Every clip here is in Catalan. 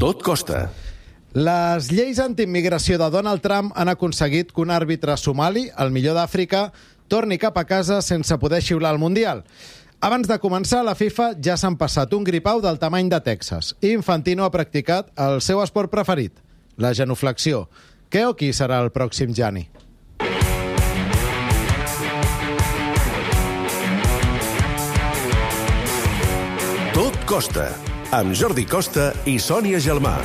Tot costa. Les lleis antiimmigració de Donald Trump han aconseguit que un àrbitre somali, el millor d'Àfrica, torni cap a casa sense poder xiular el Mundial. Abans de començar, la FIFA ja s'han passat un gripau del tamany de Texas i Infantino ha practicat el seu esport preferit, la genuflexió. Què o qui serà el pròxim Gianni? Tot costa, amb Jordi Costa i Sònia Gelmà.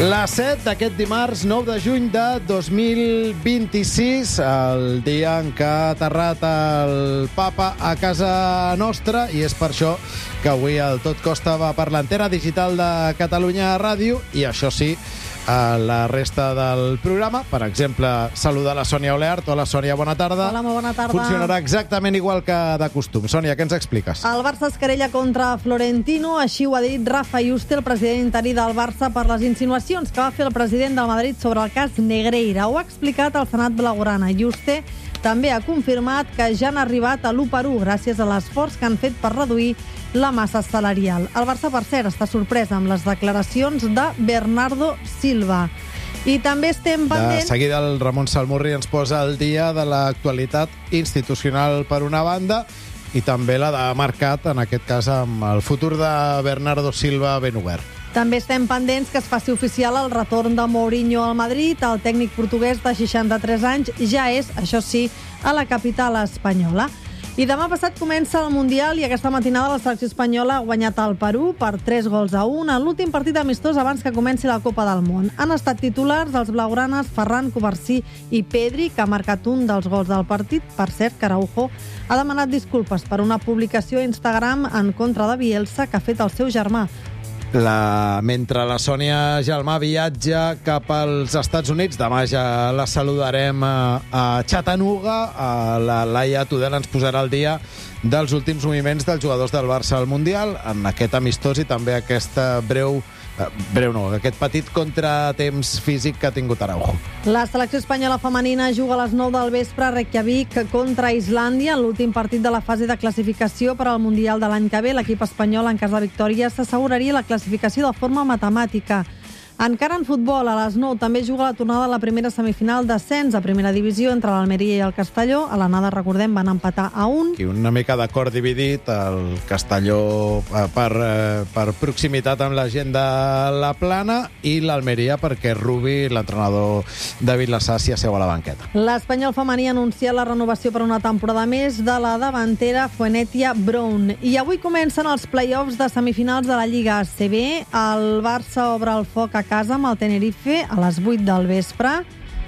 La 7 d'aquest dimarts 9 de juny de 2026, el dia en què ha aterrat el papa a casa nostra, i és per això que avui el Tot Costa va per l'antena digital de Catalunya Ràdio, i això sí, a la resta del programa. Per exemple, saludar la Sònia Oleart. Hola, Sònia, bona tarda. Hola, molt bona tarda. Funcionarà exactament igual que de costum. Sònia, què ens expliques? El Barça es querella contra Florentino, així ho ha dit Rafa Yuste, el president interí del Barça, per les insinuacions que va fer el president del Madrid sobre el cas Negreira. Ho ha explicat al Senat blaugrana. Yuste també ha confirmat que ja han arribat a l'1-1 gràcies a l'esforç que han fet per reduir la massa salarial. El Barça, per cert, està sorprès amb les declaracions de Bernardo Silva. I també estem pendents... De seguida el Ramon Salmurri ens posa al dia de l'actualitat institucional per una banda i també la de mercat, en aquest cas amb el futur de Bernardo Silva ben obert. També estem pendents que es faci oficial el retorn de Mourinho al Madrid. El tècnic portuguès de 63 anys ja és, això sí, a la capital espanyola. I demà passat comença el Mundial i aquesta matinada la selecció espanyola ha guanyat el Perú per 3-1 en l'últim partit amistós abans que comenci la Copa del Món. Han estat titulars els blaugranes Ferran Covarsí i Pedri, que ha marcat un dels gols del partit. Per cert, que Araujo ha demanat disculpes per una publicació a Instagram en contra de Bielsa que ha fet el seu germà. Mentre la Sònia Gelmà viatja cap als Estats Units, demà ja la saludarem a Chattanooga. La Laia Tudela ens posarà al dia dels últims moviments dels jugadors del Barça al Mundial, en aquest amistós i també aquest aquest petit contratemps físic que ha tingut Araujo. La selecció espanyola femenina juga a les 9 del vespre a Reykjavik contra Islàndia en l'últim partit de la fase de classificació per al Mundial de l'any que ve. L'equip espanyol, en cas de victòria, s'asseguraria la classificació de forma matemàtica. Encara en futbol, a les 9 també juga la tornada de la primera semifinal d'ascens a primera divisió entre l'Almeria i el Castelló. A l'anada, recordem, van empatar a 1. I una mica d'acord dividit, el Castelló per proximitat amb la gent de la Plana i l'Almeria perquè Rubi, l'entrenador David Lasasi, asseu a la banqueta. L'Espanyol femení ha anunciat la renovació per una temporada més de la davantera Fuennetia Brown. I avui comencen els play-offs de semifinals de la Lliga ACB. El Barça obre el foc a casa amb el Tenerife a les 8 del vespre.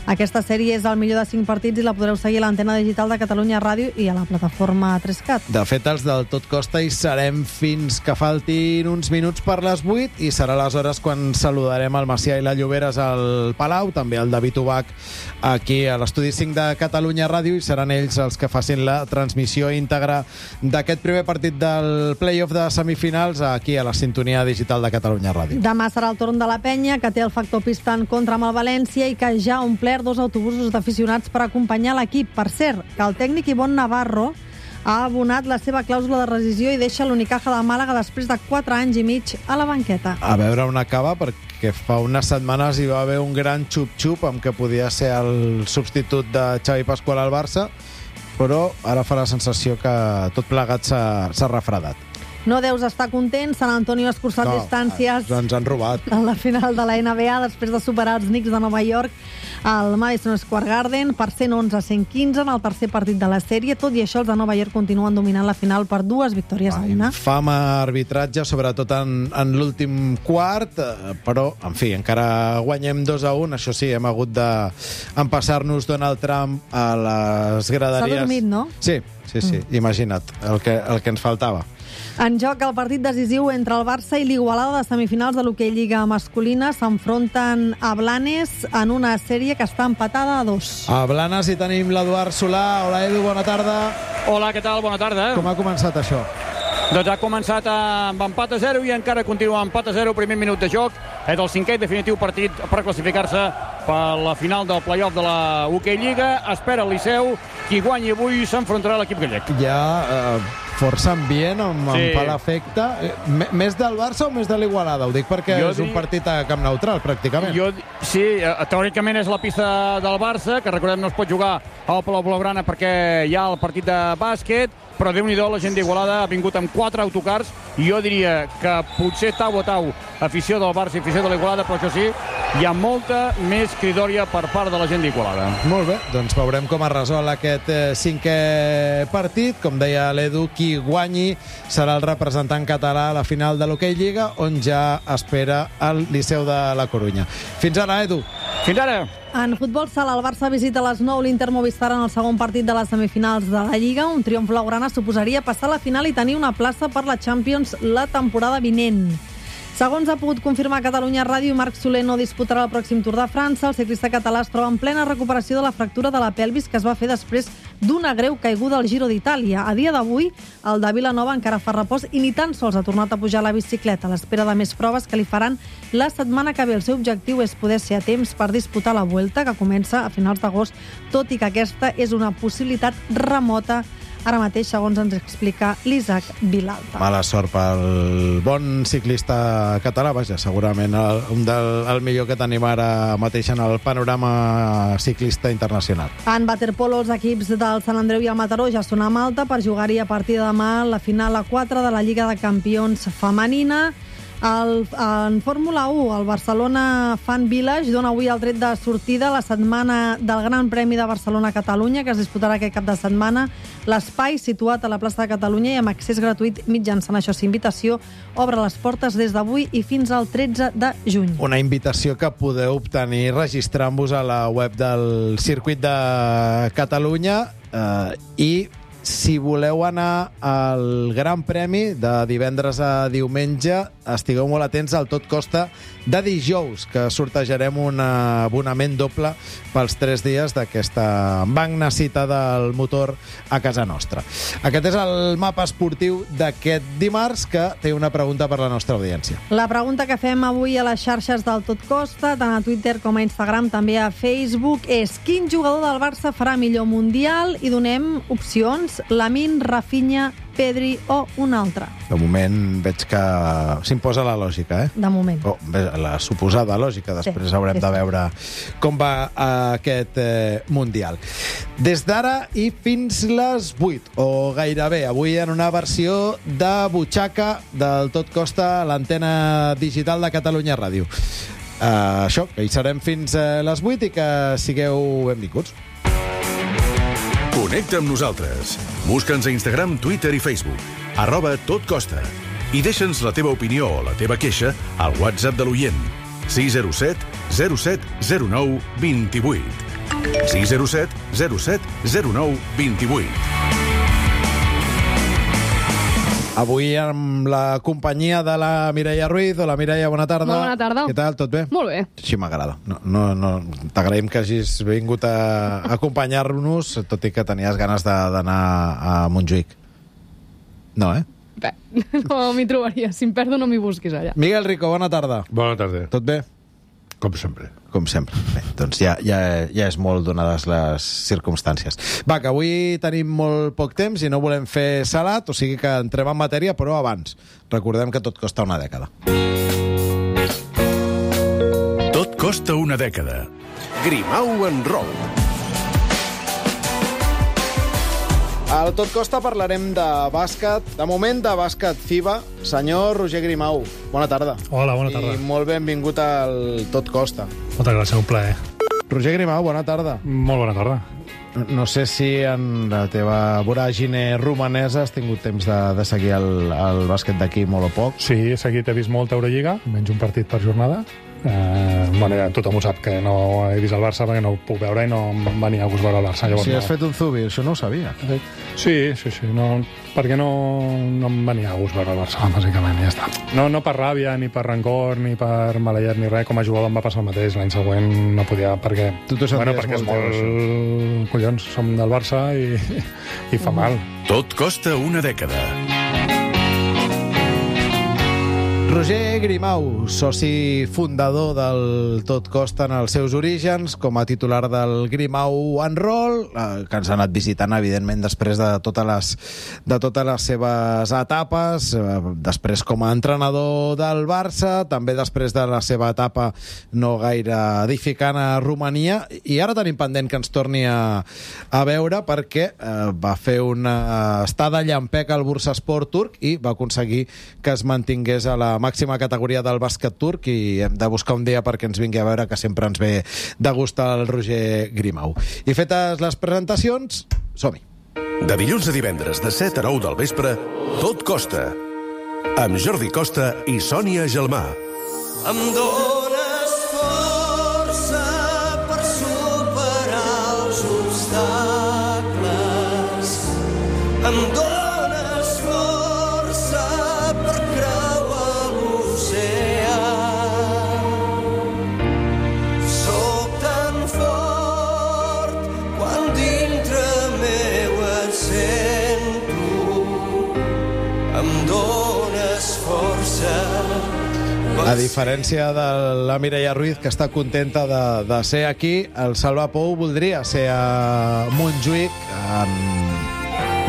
Aquesta sèrie és el millor de 5 partits i la podreu seguir a l'antena digital de Catalunya Ràdio i a la plataforma 3CAT. De fet, els del Tot Costa hi serem fins que faltin uns minuts per les 8 i serà aleshores quan saludarem el Macià i la Lloberes al Palau, també el David Ubach aquí a l'estudi 5 de Catalunya Ràdio, i seran ells els que facin la transmissió íntegra d'aquest primer partit del play-off de semifinals aquí a la sintonia digital de Catalunya Ràdio. Demà serà el torn de la Penya, que té el factor pista en contra amb el València i que ja ha omplert 2 autobusos d'aficionats per acompanyar l'equip. Per cert, que el tècnic Ivonne Navarro ha abonat la seva clàusula de rescisió i deixa l'Unicaja de Màlaga després de 4 anys i mig a la banqueta. A veure on acaba, perquè fa unes setmanes hi va haver un gran xup-xup amb què podia ser el substitut de Xavi Pasqual al Barça, però ara fa la sensació que tot plegat s'ha refredat. No deus estar content, Sant Antonio ha escurçat distàncies. Ens han robat. En la final de la NBA, després de superar els Knicks de Nova York al Madison Square Garden per 111-115 en el tercer partit de la sèrie. Tot i això, els de Nova York continuen dominant la final per 2 victòries a 1. Fama arbitratge, sobretot en l'últim quart, però, en fi, encara guanyem 2-1. Això sí, hem hagut d'empassar-nos Donald Trump a les graderies. S'ha dormit, no? Sí, imagina't, el que ens faltava. En joc el partit decisiu entre el Barça i l'Igualada de semifinals de l'hoquei Lliga masculina. S'enfronten a Blanes en una sèrie que està empatada a 2. A Blanes hi tenim l'Eduard Solà. Hola, Edu, bona tarda. Hola, què tal? Bona tarda. Com ha començat això? Doncs ha començat amb empat a 0 i encara continua empat a 0, primer minut de joc. És el cinquè i definitiu partit per classificar-se per la final del play-off de la Hockey Lliga. Espera el Liceu, qui guanyi avui s'enfrontarà a l'equip gallec. Ja força ambient, em fa l'efecte. Més del Barça o més de l'Igualada? Ho dic perquè és un partit a camp neutral, pràcticament. Sí, teòricament és la pista del Barça, que recordem no es pot jugar al Palau Blaugrana perquè hi ha el partit de bàsquet, però Déu-n'hi-do, la gent d'Igualada ha vingut amb 4 autocars i jo diria que potser tau a tau afició del Barça i afició de l'Igualada, però això sí, hi ha molta més cridòria per part de la gent d'Igualada. Molt bé, doncs veurem com es resol aquest cinquè partit. Com deia l'Edu, qui guanyi serà el representant català a la final de l'Hockey Lliga, on ja espera el Liceu de la Corunya. Fins ara, Edu. Fins ara. En futbol sala, el Barça visita a les 9 l'Inter Movistar en el segon partit de les semifinals de la Lliga. Un triomf blaugrana suposaria passar a la final i tenir una plaça per la Champions la temporada vinent. Segons ha pogut confirmar Catalunya Ràdio, Marc Soler no disputarà el pròxim Tour de França. El ciclista català es troba en plena recuperació de la fractura de la pelvis que es va fer després d'una greu caiguda al Giro d'Itàlia. A dia d'avui, el de Vilanova encara fa repòs i ni tan sols ha tornat a pujar a la bicicleta a l'espera de més proves que li faran la setmana que ve. El seu objectiu és poder ser a temps per disputar la Vuelta, que comença a finals d'agost, tot i que aquesta és una possibilitat remota ara mateix, segons ens explica l'Isaac Vilalta. Mala sort pel bon ciclista català, vaja, segurament el millor que tenim ara mateix en el panorama ciclista internacional. En waterpolo, els equips del Sant Andreu i el Mataró ja són a Malta per jugar-hi a partir de demà la final a 4 de la Lliga de Campions femenina. En Fórmula 1, el Barcelona Fan Village dona avui el tret de sortida a la setmana del Gran Premi de Barcelona-Catalunya, que es disputarà aquest cap de setmana. L'espai, situat a la plaça de Catalunya i amb accés gratuït mitjançant això, invitació, obre les portes des d'avui i fins al 13 de juny. Una invitació que podeu obtenir registrant-vos a la web del Circuit de Catalunya i si voleu anar al Gran Premi de divendres a diumenge, estigueu molt atents al Tot Costa de dijous, que sortejarem un abonament doble pels 3 dies d'aquesta magna cita del motor a casa nostra. Aquest és el mapa esportiu d'aquest dimarts, que té una pregunta per la nostra audiència. La pregunta que fem avui a les xarxes del Tot Costa, tant a Twitter com a Instagram, també a Facebook, és: quin jugador del Barça farà millor Mundial? I donem opcions: Lamine, Rafinha, Pedri o un altre. De moment veig que s'imposa la lògica, De moment. La suposada lògica. Després haurem de veure com va aquest Mundial. Des d'ara i fins les 8, o gairebé, avui en una versió de butxaca del Tot Costa a l'antena digital de Catalunya Ràdio. Això, que hi serem fins a les 8 i que sigueu benvinguts. Connecta amb nosaltres. Busca'ns a Instagram, Twitter i Facebook. @totcosta. I deixa'ns la teva opinió o la teva queixa al WhatsApp de l'oient. 607 07 09 28. 607 07 09 28. Avui amb la companyia de la Mireia Ruiz. Hola, Mireia, bona tarda. Molt bona tarda. Què tal, tot bé? Molt bé. Així m'agrada. No, t'agraïm que hagis vingut a acompanyar-nos, tot i que tenies ganes d'anar a Montjuïc. No, Bé, no m'hi trobaria. Si em perdo, no m'hi busquis allà. Miguel Rico, bona tarda. Bona tarda. Tot bé? Com sempre. Com sempre. Bé, doncs ja és molt donades les circumstàncies. Va, que avui tenim molt poc temps i no volem fer salat, o sigui que entrem en matèria, però abans. Recordem que tot costa una dècada. Tot costa una dècada. Grimau en Roll. Al Tot Costa parlarem de bàsquet, de moment de bàsquet FIBA. Senyor Roger Grimau, bona tarda. Hola, bona tarda. I molt benvingut al Tot Costa. Moltes gràcies, un plaer. Roger Grimau, bona tarda. Molt bona tarda. No sé si en la teva voràgine romanesa has tingut temps de seguir el bàsquet d'aquí molt o poc. Sí, he seguit, he vist molta Eurolliga, menys un partit per jornada. Ja tothom ho sap, que no he vist el Barça perquè no ho puc veure i no em venia a gust veure el Barça. Llavors, Si has fet un zubi, això no ho sabia. Sí, no, perquè no em venia a gust veure el Barça, bàsicament, i ja està. No per ràbia, ni per rancor, ni per maleït, ni res. Com a jugador em va passar el mateix. L'any següent no podia, perquè... Tu t'ho senties perquè és molt, collons, som del Barça i fa mal. Tot costa una dècada. Roger Grimau, soci fundador del Tot Costa en els seus orígens, com a titular del Grimau and Roll, que ens ha anat visitant, evidentment, després de totes les seves etapes, després com a entrenador del Barça, també després de la seva etapa no gaire edificant a Romania, i ara tenim pendent que ens torni a veure perquè va fer una estada llampec al Bursaspor turc i va aconseguir que es mantingués a la màxima categoria del bàsquet turc, i hem de buscar un dia perquè ens vingui a veure, que sempre ens ve de gust el Roger Grimau. I fetes les presentacions, som-hi. De dilluns a divendres, de 7 a 9 del vespre, Tot Costa, amb Jordi Costa i Sònia Gelmà. Em dones força per superar els obstacles. Em dones força per creuar l'oceà. Soc tan fort quan dintre meu et sento. Em dones força. A diferència de la Mireia Ruiz, que està contenta de ser aquí, el Salva Pou voldria ser a Montjuïc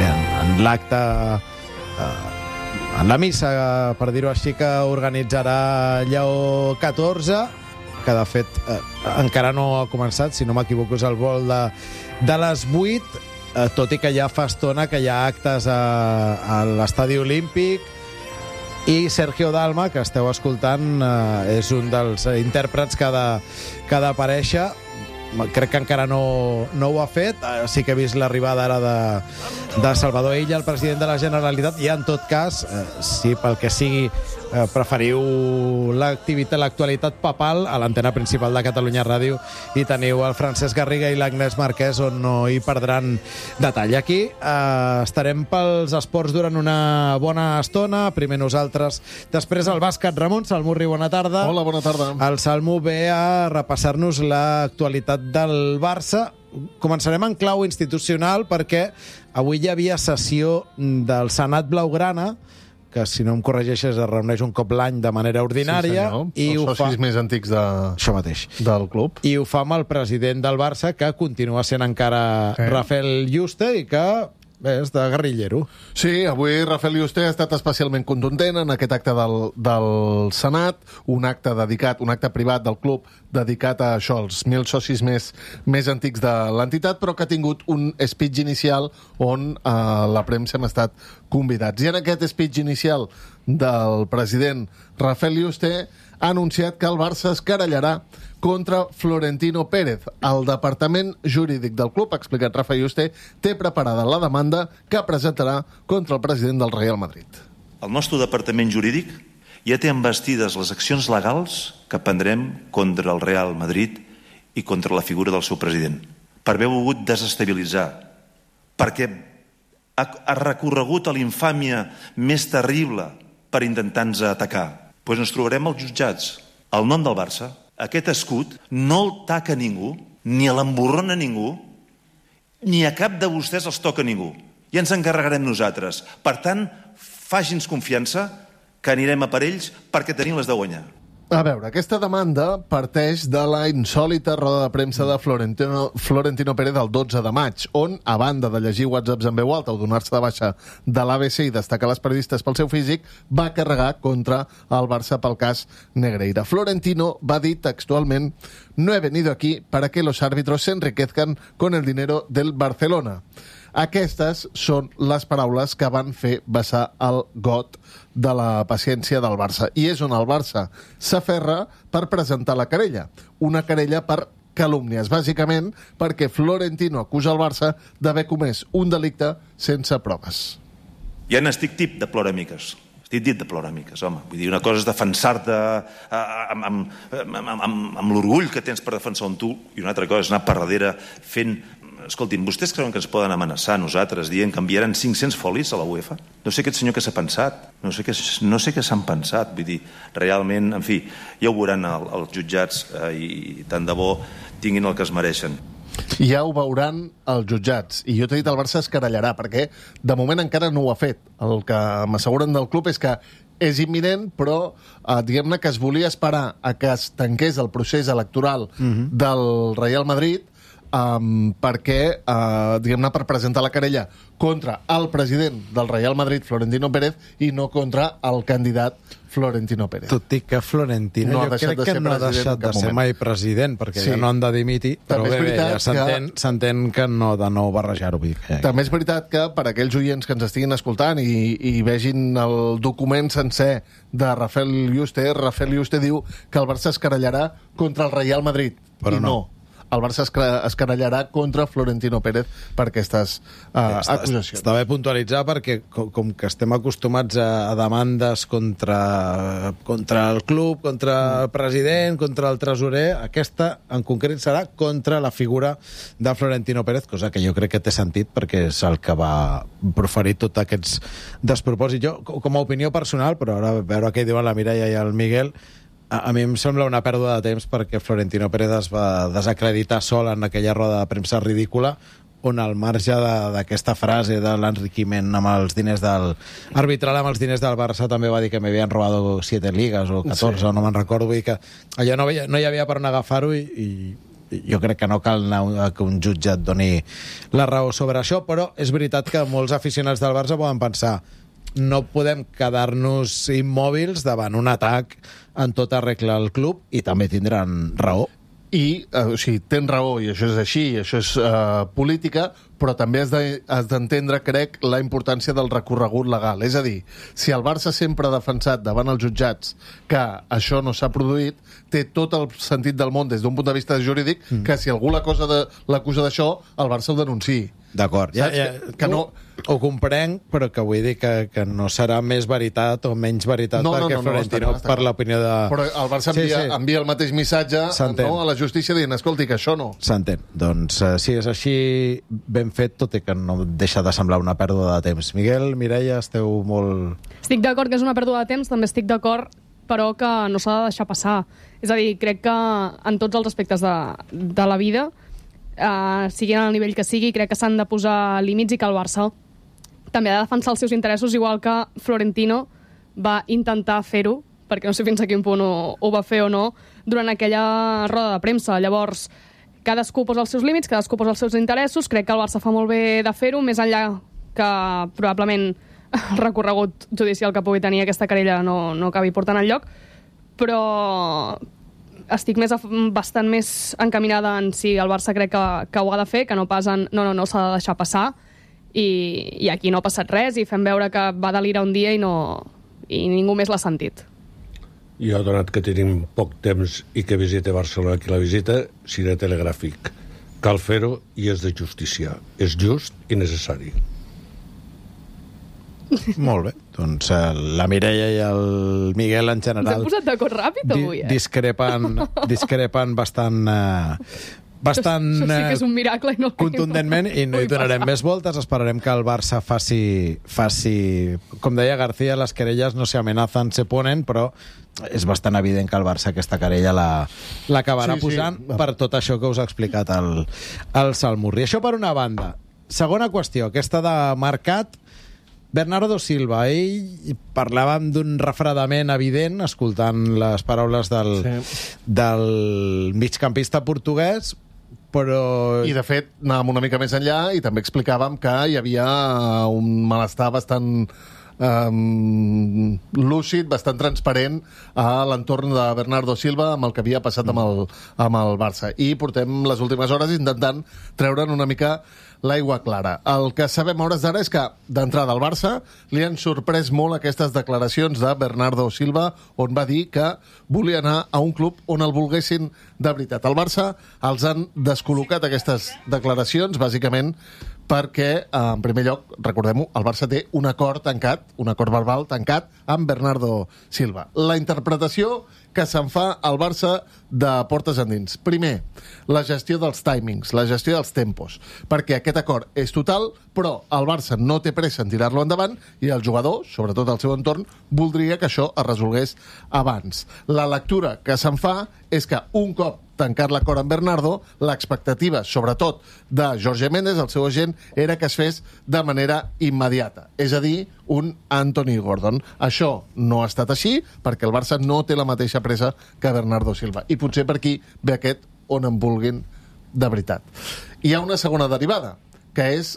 en l'acte, en la missa, per dir-ho així, que organitzarà Lleó XIV, que de fet encara no ha començat, si no m'equivoco és el vol de les 8, tot i que ja fa estona que hi ha actes a l'Estadi Olímpic. I Sergio Dalma, que esteu escoltant, és un dels intèrprets que ha d'aparèixer. Crec que encara no ho ha fet. Sí que he vist l'arribada ara de Salvador Illa, el president de la Generalitat, i en tot cas, si pel que sigui preferiu l'actualitat papal, a l'antena principal de Catalunya Ràdio hi teniu el Francesc Garriga i l'Agnès Marquès, on no hi perdran detall. Aquí estarem pels esports durant una bona estona, primer nosaltres, després el bàsquet. Ramon Salmurri, bona tarda. Hola, bona tarda. El Salmo ve a repassar-nos l'actualitat del Barça. Començarem en clau institucional perquè avui hi havia sessió del Senat Blaugrana, que, si no em corregeixes, es reuneix un cop l'any de manera ordinària. Sí, senyor. Els socis més antics això mateix del club. I ho fa amb el president del Barça, que continua sent encara Rafael Yuste, i que és de guerrillero. Sí, avui Rafael Yuste ha estat especialment contundent en aquest acte del Senat, un acte privat del club dedicat a això, als 1.000 socis més antics de l'entitat, però que ha tingut un speech inicial on la premsa hem estat convidats. I en aquest speech inicial del president Rafael Yuste ha anunciat que el Barça es querellarà contra Florentino Pérez. El departament jurídic del club, ha explicat Rafa Yuste, té preparada la demanda que presentarà contra el president del Real Madrid. El nostre departament jurídic ja té envestides les accions legals que prendrem contra el Real Madrid i contra la figura del seu president, per haver volgut desestabilitzar, perquè ha recorregut a l'infàmia més terrible per intentar-nos atacar. Doncs ens trobarem als jutjats. El nom del Barça, aquest escut, no el taca ningú, ni l'emborrona ningú, ni a cap de vostès els toca ningú. Ja ens encarregarem nosaltres. Per tant, faci'ns confiança que anirem a per ells perquè tenim les de guanyar. A veure, aquesta demanda parteix de la insòlita roda de premsa de Florentino Pérez el 12 de maig, on, a banda de llegir whatsapps en veu alta o donar-se de baixa de l'ABC i destacar les periodistes pel seu físic, va carregar contra el Barça pel cas Negreira. Florentino va dir textualment: «No he venido aquí para que los árbitros se enriquezcan con el dinero del Barcelona». Aquestes són les paraules que van fer vessar el got de la paciència del Barça. I és on el Barça s'aferra per presentar la querella. Una querella per calúmnies, bàsicament perquè Florentino acusa el Barça d'haver comès un delicte sense proves. Ja n'estic tip de ploramiques. Estic dit de ploramiques, home. Vull dir, una cosa és defensar-te amb l'orgull que tens per defensar un tu, i una altra cosa és anar per darrere fent... Escoltin, vostès creuen que ens poden amenaçar a nosaltres dient que enviaran 500 folis a la UEFA? No sé aquest senyor què s'ha pensat. No sé què s'han pensat. Vull dir, realment, en fi, ja ho veuran els jutjats i tant de bo tinguin el que es mereixen. Ja ho veuran els jutjats. I jo t'he dit, el Barça es querellarà, perquè de moment encara no ho ha fet. El que m'asseguren del club és que és imminent, però diguem-ne que es volia esperar a que es tanqués el procés electoral del Real Madrid perquè, diguem-ne, per presentar la querella contra el president del Real Madrid, Florentino Pérez, i no contra el candidat Florentino Pérez. Tot i que Florentino jo crec que no ha deixat de ser mai president, perquè ja no han de dimitir, però bé, ja s'entén que no de nou barrejar-ho. També és veritat que per aquells oients que ens estiguin escoltant i vegin el document sencer de Rafael Yuste diu que el Barça es querellarà contra el Real Madrid, però no. El Barça es querellarà contra Florentino Pérez per aquestes acusacions. Està bé puntualitzar perquè com que estem acostumats a demandes contra el club, contra el president, contra el tresorer, aquesta en concret serà contra la figura de Florentino Pérez, cosa que jo crec que té sentit perquè és el que va proferir tots aquests despropòsits. Jo, com a opinió personal, però ara a veure què diuen la Mireia i el Miguel, a mi em sembla una pèrdua de temps perquè Florentino Pérez es va desacreditar sol en aquella roda de premsa ridícula on al marge d'aquesta frase de l'enriquiment amb els diners arbitral amb els diners del Barça també va dir que m'havien robat 7 ligas o 14, sí. O no me'n recordo, vull dir que allò no hi havia per on agafar-ho i jo crec que no cal anar que un jutge et doni la raó sobre això, però és veritat que molts aficionats del Barça poden pensar no podem quedar-nos immòbils davant un atac en tota regla al club i també tindran raó. I, o sigui, tens raó, i això és així, això és política, però també has d'entendre, crec, la importància del recorregut legal. És a dir, si el Barça sempre ha defensat davant els jutjats que això no s'ha produït, té tot el sentit del món des d'un punt de vista jurídic que si algú l'acusa d'això, el Barça ho denunciï. D'acord, que no... Ho comprenc, però que vull dir que no serà més veritat o menys veritat perquè Florentino, per l'opinió de... Però el Barça envia el mateix missatge a la justícia dient, escolti, que això no. S'entén. Doncs si és així, ben fet, tot i que no deixa de semblar una pèrdua de temps. Miguel, Mireia, esteu molt... Estic d'acord que és una pèrdua de temps, també estic d'acord però que no s'ha de deixar passar. És a dir, crec que en tots els aspectes de la vida, siguin al nivell que sigui, crec que s'han de posar límits i que el Barça també ha de defensar els seus interessos, igual que Florentino va intentar fer-ho, perquè no sé fins a quin punt ho va fer o no, durant aquella roda de premsa. Llavors, cadascú posa els seus límits, cadascú posa els seus interessos, crec que el Barça fa molt bé de fer-ho, més enllà que probablement el recorregut judicial que pugui tenir aquesta querella no acabi portant enlloc, però estic bastant més encaminada en si el Barça crec que ho ha de fer, que no pas en no s'ha de deixar passar, i aquí no ha passat res, i fem veure que va delirar un dia i ningú més l'ha sentit. Jo, donat que tenim poc temps i que visite Barcelona qui la visita, seré telegràfic. Cal fer-ho i és de justícia. És just i necessari. Molt bé. Doncs la Mireia i el Miguel en general... Ens hem posat d'acord ràpid avui, discrepen bastant... Això sí que és un miracle i no contundentment, i no hi donarem més voltes. Esperarem que el Barça faci... Com deia García, les querelles no se amenazan, se ponen, però és bastant evident que el Barça aquesta querella l'acabarà posant per tot això que us ha explicat el Salmurri. Això per una banda. Segona qüestió, aquesta de mercat. Bernardo Silva, ell parlàvem d'un refredament evident escoltant les paraules del migcampista portuguès, però... I, de fet, anàvem una mica més enllà i també explicàvem que hi havia un malestar bastant lúcid, bastant transparent a l'entorn de Bernardo Silva amb el que havia passat amb el Barça. I portem les últimes hores intentant treure'n una mica l'aigua clara. El que sabem a hores d'ara és que, d'entrada al Barça, li han sorprès molt aquestes declaracions de Bernardo Silva, on va dir que volia anar a un club on el volguessin de veritat. El Barça els han descol·locat aquestes declaracions, bàsicament, perquè, en primer lloc, recordem-ho, el Barça té un acord tancat, un acord verbal tancat amb Bernardo Silva. La interpretació que se'n fa al Barça de portes endins. Primer, la gestió dels timings, la gestió dels tempos, perquè aquest acord és total, però el Barça no té pressa en tirar-lo endavant i el jugador, sobretot el seu entorn, voldria que això es resolgués abans. La lectura que se'n fa és que un cop tancar l'acord amb Bernardo, l'expectativa, sobretot de Jorge Méndez, el seu agent, era que es fes de manera immediata. És a dir, un Anthony Gordon. Això no ha estat així, perquè el Barça no té la mateixa pressa que Bernardo Silva. I potser per aquí ve aquest on en vulguin de veritat. Hi ha una segona derivada, que és,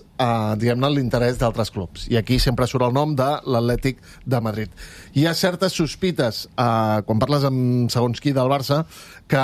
diguem-ne, l'interès d'altres clubs. I aquí sempre surt el nom de l'Atlètic de Madrid. Hi ha certes sospites, quan parles amb segons qui del Barça, que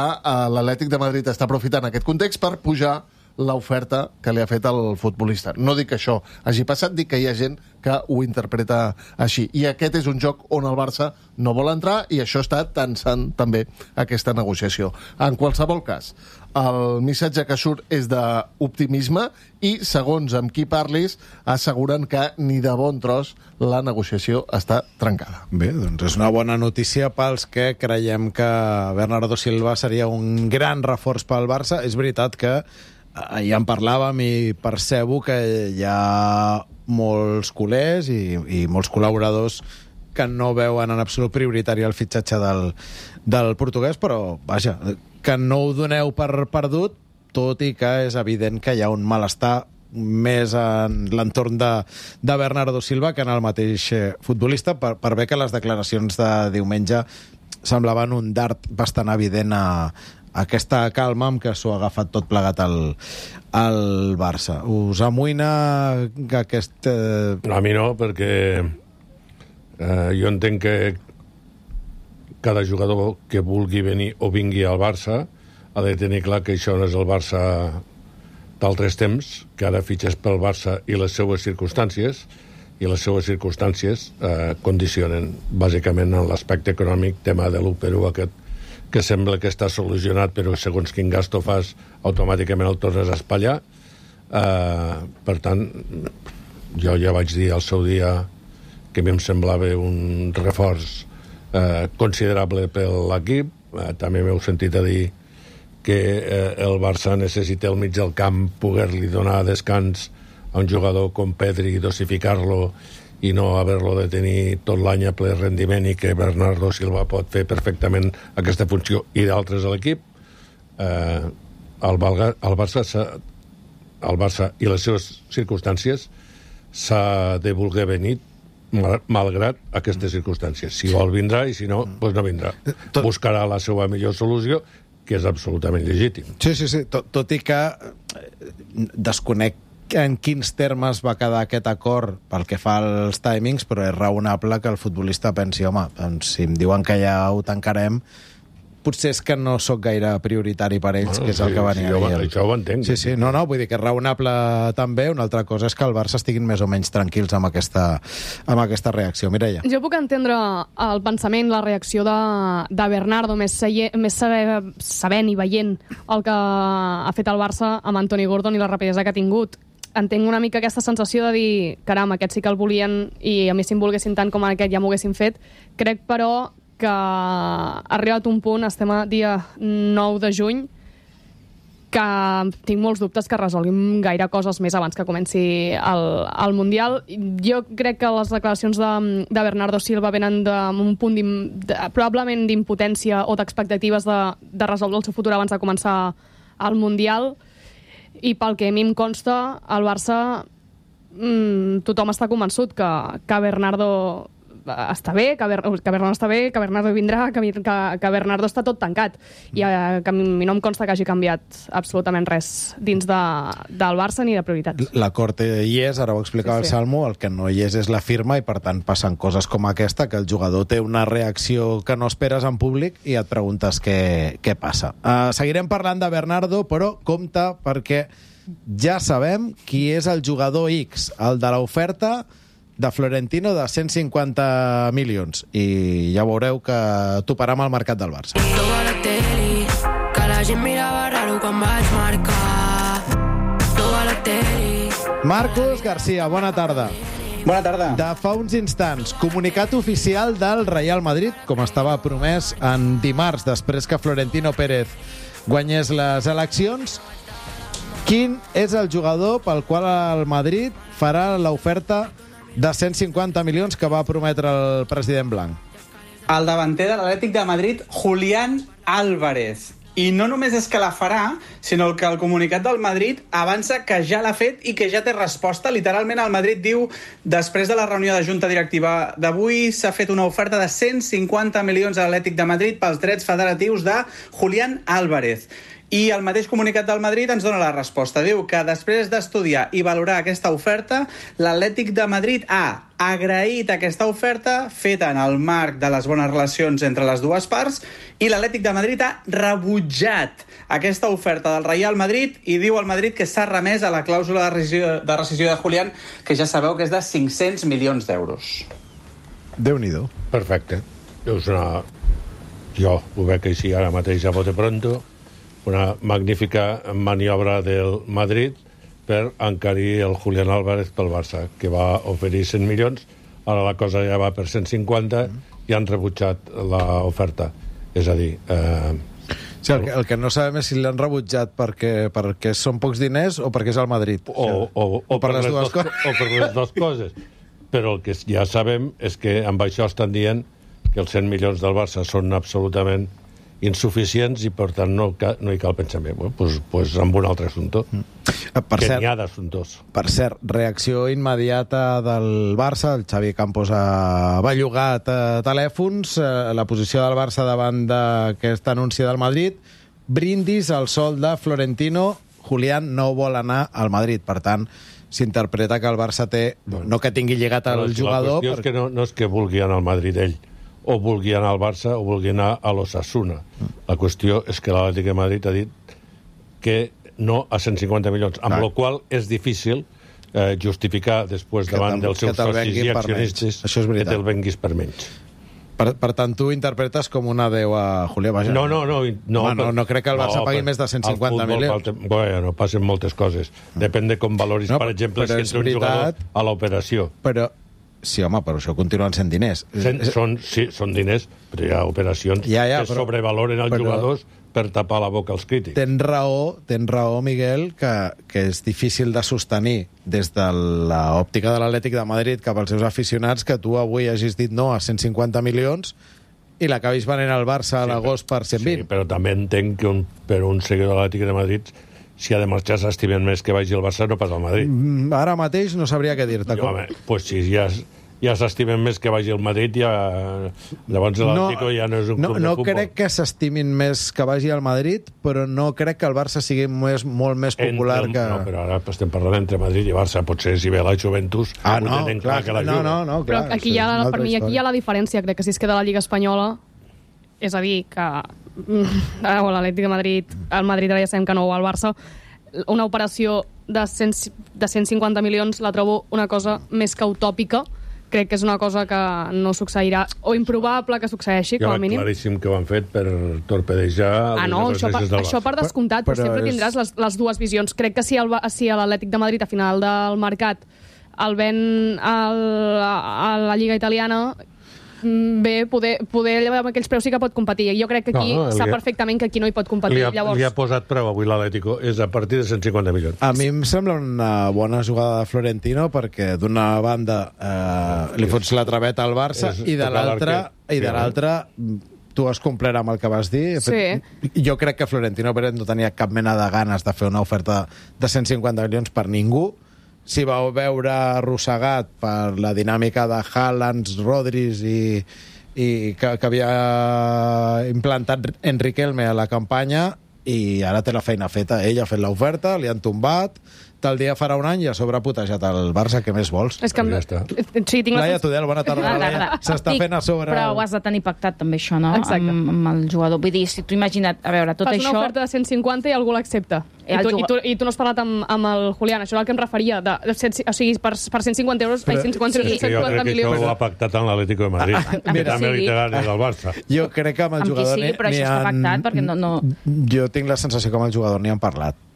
l'Atlètic de Madrid està aprofitant aquest context per pujar l'oferta que li ha fet el futbolista. No dic que això hagi passat, dic que hi ha gent que ho interpreta així. I aquest és un joc on el Barça no vol entrar i això està tensant també aquesta negociació. En qualsevol cas, el missatge que surt és d'optimisme i, segons amb qui parlis, asseguren que ni de bon tros la negociació està trencada. Bé, doncs és una bona notícia pels que creiem que Bernardo Silva seria un gran reforç pel Barça. És veritat que ja en parlàvem i percebo que hi ha molts culers i molts col·laboradors que no veuen en absolut prioritari el fitxatge del portuguès, però, vaja, que no ho doneu per perdut, tot i que és evident que hi ha un malestar més en l'entorn de Bernardo Silva que en el mateix futbolista, per bé que les declaracions de diumenge semblaven un dart bastant evident a aquesta calma amb què s'ho ha agafat tot plegat al Barça. Us amoïna que aquest... A mi no, perquè jo entenc que cada jugador que vulgui venir o vingui al Barça ha de tenir clar que això no és el Barça d'altres temps, que ara fitxes pel Barça i les seues circumstàncies, i les seues circumstàncies condicionen bàsicament en l'aspecte econòmic, tema de l'1/1 aquest que sembla que està solucionat, però segons quin gasto fas, automàticament el tornes a espatllar. Per tant, jo ja vaig dir al seu dia que a mi em semblava un reforç considerable per l'equip. També m'heu sentit a dir que el Barça necessita al mig del camp poder-li donar descans a un jugador com Pedri, dosificar-lo i no haver-lo de tenir tot l'any a ple rendiment i que Bernardo Silva pot fer perfectament aquesta funció i d'altres a l'equip. El Barça i les seves circumstàncies s'ha de voler venir malgrat aquestes circumstàncies. Si vol vindrà i si no, doncs no vindrà. Buscarà la seva millor solució, que és absolutament legítim. Sí. Tot i que desconec en quins termes va quedar aquest acord pel que fa als timings, però és raonable que el futbolista pensi, home, doncs, si em diuen que ja ho tancarem, potser és que no sóc gaire prioritari per ells, que és el que venia a dir. Això ho entenc. Sí, no, vull dir que és raonable també. Una altra cosa és que el Barça estiguin més o menys tranquils amb aquesta reacció. Mireia. Jo puc entendre el pensament, la reacció de Bernardo, més sabent i veient el que ha fet el Barça amb Anthony Gordon i la rapidesa que ha tingut. Entenc una mica aquesta sensació de dir, caram, aquest sí que el volien i a mi si em volguessin tant com aquest ja m'ho haguessin fet. Crec, però, que ha arribat un punt, estem a dia 9 de juny, que tinc molts dubtes que resolguin gaire coses més abans que comenci el Mundial. Jo crec que les declaracions de Bernardo Silva venen d'un punt probablement d'impotència o d'expectatives de resoldre el seu futur abans de començar el Mundial. I pel que a mi em consta, al Barça tothom està convençut que Bernardo està bé, que Bernardo està bé, que Bernardo vindrà, que Bernardo està tot tancat. I que a mi no em consta que hagi canviat absolutament res dins del Barça ni de prioritats. L'acord hi és, ara ho explicava el Salmo, el que no hi és la firma i per tant passen coses com aquesta, que el jugador té una reacció que no esperes en públic i et preguntes què passa. Seguirem parlant de Bernardo, però compte perquè ja sabem qui és el jugador X, el de l'oferta de Florentino de 150 milions. I ja veureu que toparà amb el mercat del Barça. Marcos García, bona tarda. Bona tarda. De fa uns instants, comunicat oficial del Real Madrid, com estava promès en dimarts, després que Florentino Pérez guanyés les eleccions. Quin és el jugador pel qual el Madrid farà l'oferta de 150 milions que va prometre el president blanc? El davanter de l'Atlètic de Madrid, Julián Álvarez. I no només és que la farà, sinó que el comunicat del Madrid avança que ja l'ha fet i que ja té resposta. Literalment el Madrid diu, després de la reunió de junta directiva d'avui, s'ha fet una oferta de 150 milions a l'Atlètic de Madrid pels drets federatius de Julián Álvarez. I el mateix comunicat del Madrid ens dona la resposta. Diu que després d'estudiar i valorar aquesta oferta, l'Atlètic de Madrid ha agraït aquesta oferta feta en el marc de les bones relacions entre les dues parts i l'Atlètic de Madrid ha rebutjat aquesta oferta del Real Madrid i diu al Madrid que s'ha remès a la clàusula de rescisió de Julián, que ja sabeu que és de 500 milions d'euros. Déu-n'hi-do. Perfecte. Jo ho veig així ara mateix a bote pronto. Una magnífica maniobra del Madrid per encarir el Julián Álvarez pel Barça, que va oferir 100 milions, ara la cosa ja va per 150 i han rebutjat l'oferta. És a dir... Sí, el que no sabem és si l'han rebutjat perquè són pocs diners o perquè és el Madrid. O per les dues coses. O per les dues coses. Però el que ja sabem és que amb això estan dient que els 100 milions del Barça són absolutament insuficients i, per tant, no hi cal pensar bé. Doncs amb un altre assumpte. Que n'hi ha d'assumptos. Per cert, reacció immediata del Barça. El Xavi Campos ha bellugat telèfons. La posició del Barça davant d'aquest anunci del Madrid. Brindis al sol de Florentino. Julián no vol anar al Madrid. Per tant, s'interpreta que el Barça té... No que tingui lligat el jugador... La qüestió és que no és que vulgui anar al Madrid ell, o vulgui anar al Barça o vulgui anar a l'Osasuna. La qüestió és que l'Atlètic de Madrid ha dit que no a 150 milions, amb la qual és difícil justificar després davant dels seus socis i accionistes que te'l venguis per menys. Per tant, tu interpretes com un adeu a Julián, vaja. No crec que el Barça pagui més de 150 milions. Bueno, passen moltes coses. Depèn de com valoris, per exemple, si entra un jugador a l'operació. Però sí, home, però això continuen sent diners. Són diners, però hi ha operacions que sobrevaloren els jugadors per tapar la boca als crítics. Tens raó, Miguel, que és difícil de sostenir des de l'òptica de l'Atlètic de Madrid cap als seus aficionats que tu avui hagis dit no a 150 milions i l'acabis venent al Barça a l'agost per 120. Sí, però també entenc que per un seguidor de l'Atlètic de Madrid, si ha de marxar s'estimen més que vagi al Barça, no pas al Madrid. Ara mateix no sabria què dir-te. Pues si ja s'estimen més que vagi al Madrid, llavors l'Atlético ja no és un club de futbol. No crec que s'estimin més que vagi al Madrid, però no crec que el Barça sigui molt més popular que... No, però ara estem parlant entre Madrid i Barça. Potser si ve la Juventus ho tenen clar que la juga. No, però aquí per mi aquí hi ha la diferència. Crec que si es queda la Lliga Espanyola, és a dir, que l'Atlètic de Madrid, el Madrid ara ja sabem que no va al Barça, una operació de 150 milions la trobo una cosa més que utòpica. Crec que és una cosa que no succeirà, o improbable que succeeixi, com a mínim. Claríssim que ho han fet per torpedejar això per descomptat, però sempre tindràs les dues visions. Crec que si l'Atlètic de Madrid a final del mercat el ven a la Lliga italiana, bé, poder amb aquells preus sí que pot competir. Jo crec que aquí sap perfectament que aquí no hi pot competir. Li ha posat preu avui l'Atlético, és a partir de 150 milions. A mi em sembla una bona jugada de Florentino, perquè d'una banda li fots la traveta al Barça i de l'altra tu has complert amb el que vas dir. Sí. Jo crec que Florentino Pérez no tenia cap mena de ganes de fer una oferta de 150 milions per ningú. S'hi va veure arrossegat per la dinàmica de Haaland, Rodríguez i que havia implantat Enriquelme a la campanya, i ara té la feina feta. Ell ha fet l'oferta, li han tombat, tal dia farà un any i a sobre ha putejat el Barça. Què més vols? És que ja està. Sí, Laia Tudel, bona tarda. S'està fent a sobre... Però ho has de tenir pactat també, això, no? Amb el jugador. Vull dir, si tu imagina't, a veure, tot això... Fas una oferta de 150 i algú l'accepta. I tu no has parlat amb el Julián. Això és el que em referia. O sigui, per 150 euros... 150 milions. Jo crec que això ho ha pactat amb l'Atlético de Madrid. Que també literari del Barça. Jo crec que amb el jugador... Amb qui sí, però això està pactat, perquè no... Jo tinc la sensació que amb el jugador n'hi han parlat.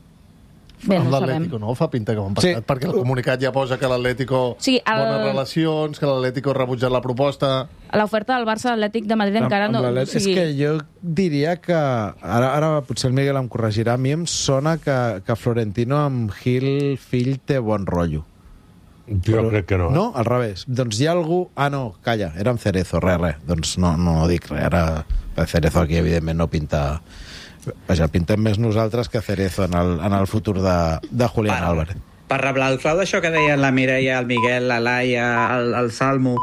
Bé, amb l'Atlético no fa pinta que ho han passat, perquè el comunicat ja posa que l'Atlético bones relacions, que l'Atlético ha rebutjat la proposta. L'oferta del Barça a l'Atlètic de Madrid encara no... És que jo diria que... Ara potser el Miguel em corregirà. A mi em sona que Florentino amb Gil fill té bon rotllo. Jo crec que no. No? Al revés. Doncs hi ha algú... Ah, no, calla, era amb Cerezo, res. Doncs no dic res. Ara Cerezo aquí, evidentment, no pinta Vaja, pintem més nosaltres que Cerezo en el futur de Julián Álvarez. Per reblar el clau d'això que deien la Mireia, el Miguel, la Laia, el Salmo,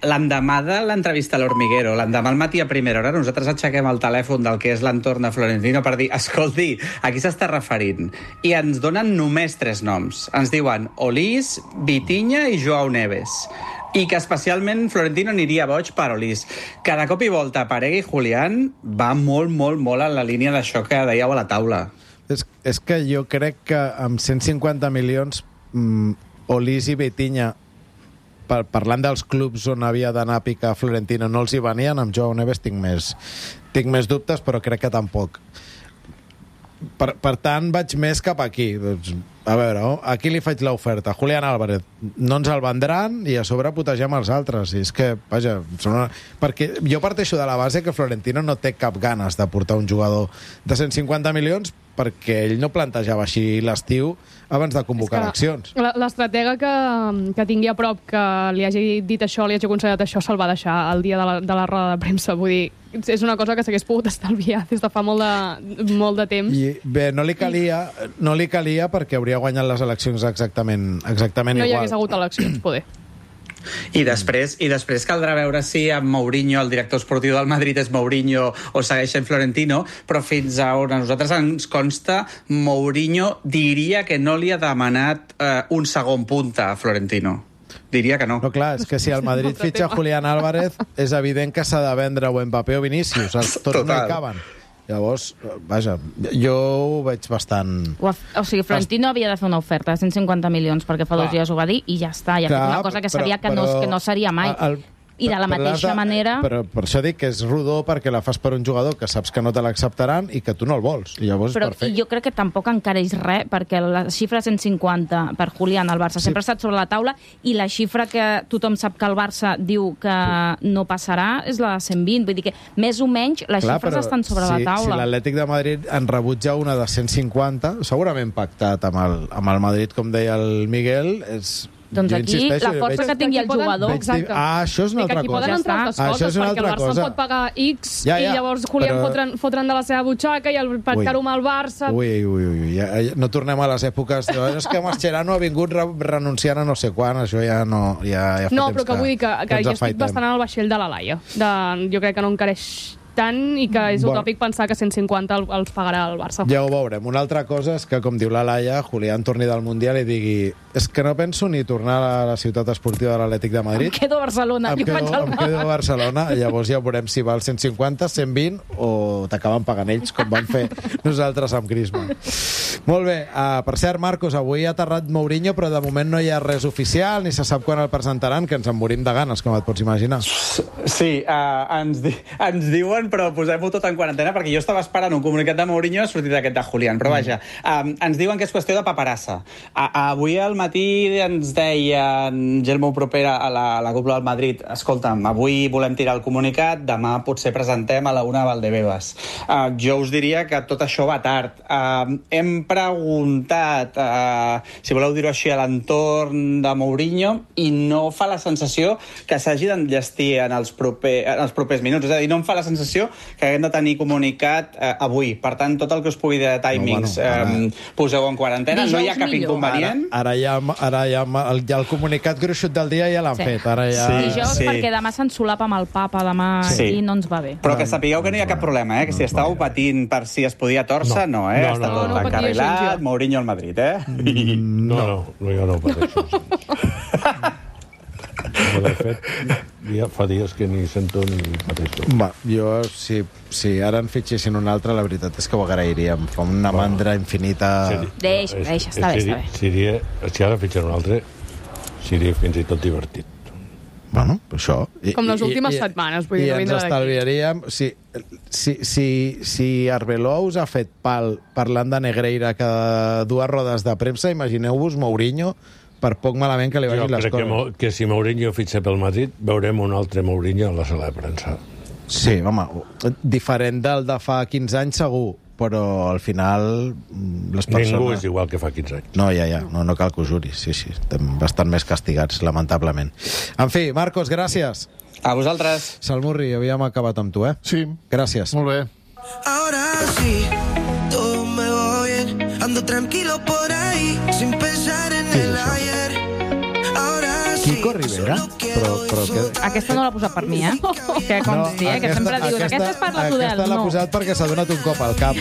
l'endemà de l'entrevista a l'Hormiguero, l'endemà al matí a primera hora, nosaltres aixequem el telèfon del que és l'entorn de Florentino per dir, escolti, a qui s'està referint? I ens donen només 3 noms. Ens diuen Olís, Vitinha i Joao Neves. I que especialment Florentino aniria boig per Olís. Cada cop i volta aparegui Julián va molt, molt, molt en la línia d'això que dèieu a la taula. És que jo crec que amb 150 milions Olís i Vitinha, parlant dels clubs on havia d'anar a picar Florentino, no els hi venien. Amb Joao Neves tinc més dubtes, però crec que tampoc. Per tant, vaig més cap aquí. A veure, aquí li faig l'oferta. Julián Álvarez, no ens el vendran i a sobre putegem els altres. I és que, vaja, perquè jo parteixo de la base que Florentino no té cap ganes de portar un jugador de 150 milions perquè ell no plantejava així l'estiu abans de convocar eleccions. L'estratega que tingui a prop, que li hagi dit això, li hagi aconsellat això, se'l va deixar el dia de la roda de premsa. Vull dir, és una cosa que s'hagués pogut estalviar des de fa molt de temps. I bé, no li calia perquè hauria guanyat les eleccions exactament igual. No hi hagués hagut eleccions, poder. I després caldrà veure si amb Mourinho, el director esportiu del Madrid és Mourinho o segueix en Florentino, però fins a on a nosaltres ens consta, Mourinho diria que no li ha demanat un segon punta a Florentino. Diria que no. No, clar, és que si el Madrid fitxa Julián Álvarez, és evident que s'ha de vendre o Mbappé o Vinícius. Tots no hi caben. Llavors, vaja, jo ho veig bastant... O sigui, Florentino havia de fer una oferta de 150 milions perquè fa 2 dies ho va dir i ja està. Ja ha fet una cosa que sabia que no seria mai. I de la mateixa manera... Però per això dic que és rodó perquè la fas per un jugador que saps que no te l'acceptaran i que tu no el vols. I llavors és perfecte. Jo crec que tampoc encareix res perquè la xifra 150 per Julián al Barça sempre ha estat sobre la taula i la xifra que tothom sap que el Barça diu que no passarà és la de 120. Vull dir que més o menys les xifres estan sobre la taula. Si l'Atlètic de Madrid en rebutja una de 150, segurament pactat amb el Madrid, com deia el Miguel, és... Doncs aquí, la força que tingui el jugador... això és una altra cosa. Aquí poden entrar altres coses, perquè el Barça pot pagar X i llavors Julián fotran de la seva butxaca i el pactar-ho amb el Barça... No tornem a les èpoques... És que Mascherano ha vingut renunciant a no sé quan, això ja no... No, però que vull dir que jo estic bastant en el vaixell de la Laia. Jo crec que no encareix tant i que és utòpic pensar que 150 els pagarà el Barça. Ja ho veurem. Una altra cosa és que, com diu la Laia, Julián torni del Mundial i digui és que no penso ni tornar a la ciutat esportiva de l'Atlètic de Madrid. Em quedo a Barcelona. Em quedo a Barcelona. Llavors ja veurem si val 150, 120 o t'acaben pagant ells, com van fer nosaltres amb Griezmann. Molt bé. Per cert, Marcos, avui ha aterrat Mourinho, però de moment no hi ha res oficial, ni se sap quan el presentaran, que ens en morim de ganes, com et pots imaginar. Sí, ens diuen, però posem-ho tot en quarantena, perquè jo estava esperant un comunicat de Mourinho, ha sortit aquest de Julián, però vaja, ens diuen que és qüestió de paperassa. Avui al matí ens deia Gelmo Propera a la cúpula del Madrid, escolta'm, avui volem tirar el comunicat, demà potser presentem a la 1 a Valdebebas. Jo us diria que tot això va tard. Hem preguntat, si voleu dir-ho així, a l'entorn de Mourinho i no fa la sensació que s'hagi d'enllestir en els propers minuts. És a dir, no em fa la sensació que haguem de tenir comunicat avui. Per tant, tot el que us pugui de timings poseu en quarantena. No hi ha cap inconvenient. Ara ja el comunicat gruixut del dia ja l'han fet. Dijous, perquè demà s'ensolapa amb el papa, demà i no ens va bé. Però que sapigueu que no hi ha cap problema, que si estàveu patint per si es podia tòrcer, no, està tot encarrilat, Mourinho al Madrid, No, jo no pateixo. De fet, ja fa dies que ni sento ni pateixo. Jo, si ara en fitxessin un altre, la veritat és que ho agrairíem. Fa una mandra infinita... Deixa, està bé. Si ara fitxar un altre, seria fins i tot divertit. Bueno, això... Com les últimes setmanes, vull dir, no vindrà d'aquí. I ens estalviaríem... Si Arbeloa us ha fet pal parlant de Negreira cada 2 rodes de premsa, imagineu-vos Mourinho per poc malament que li vagin les coses. Jo crec que si Mourinho fitxa pel Madrid, veurem un altre Mourinho a la sala de premsa. Sí, home, diferent del de fa 15 anys segur, però al final les persones... Ningú és igual que fa 15 anys. No, no cal que ho juris, sí, estem bastant més castigats, lamentablement. En fi, Marcos, gràcies. A vosaltres. Salmurri, havíem acabat amb tu, Sí. Gràcies. Molt bé. Ahora sí, todo me va bien. Ando tranquilo por ahí, sin pensar en el ayer. Ahora sí. Kiko Rivera? Però que... Aquesta no l'ha posat per mi, Que consti, que sempre dius, aquesta és per la Tudel. Aquesta l'ha No. posat perquè s'ha donat un cop al cap.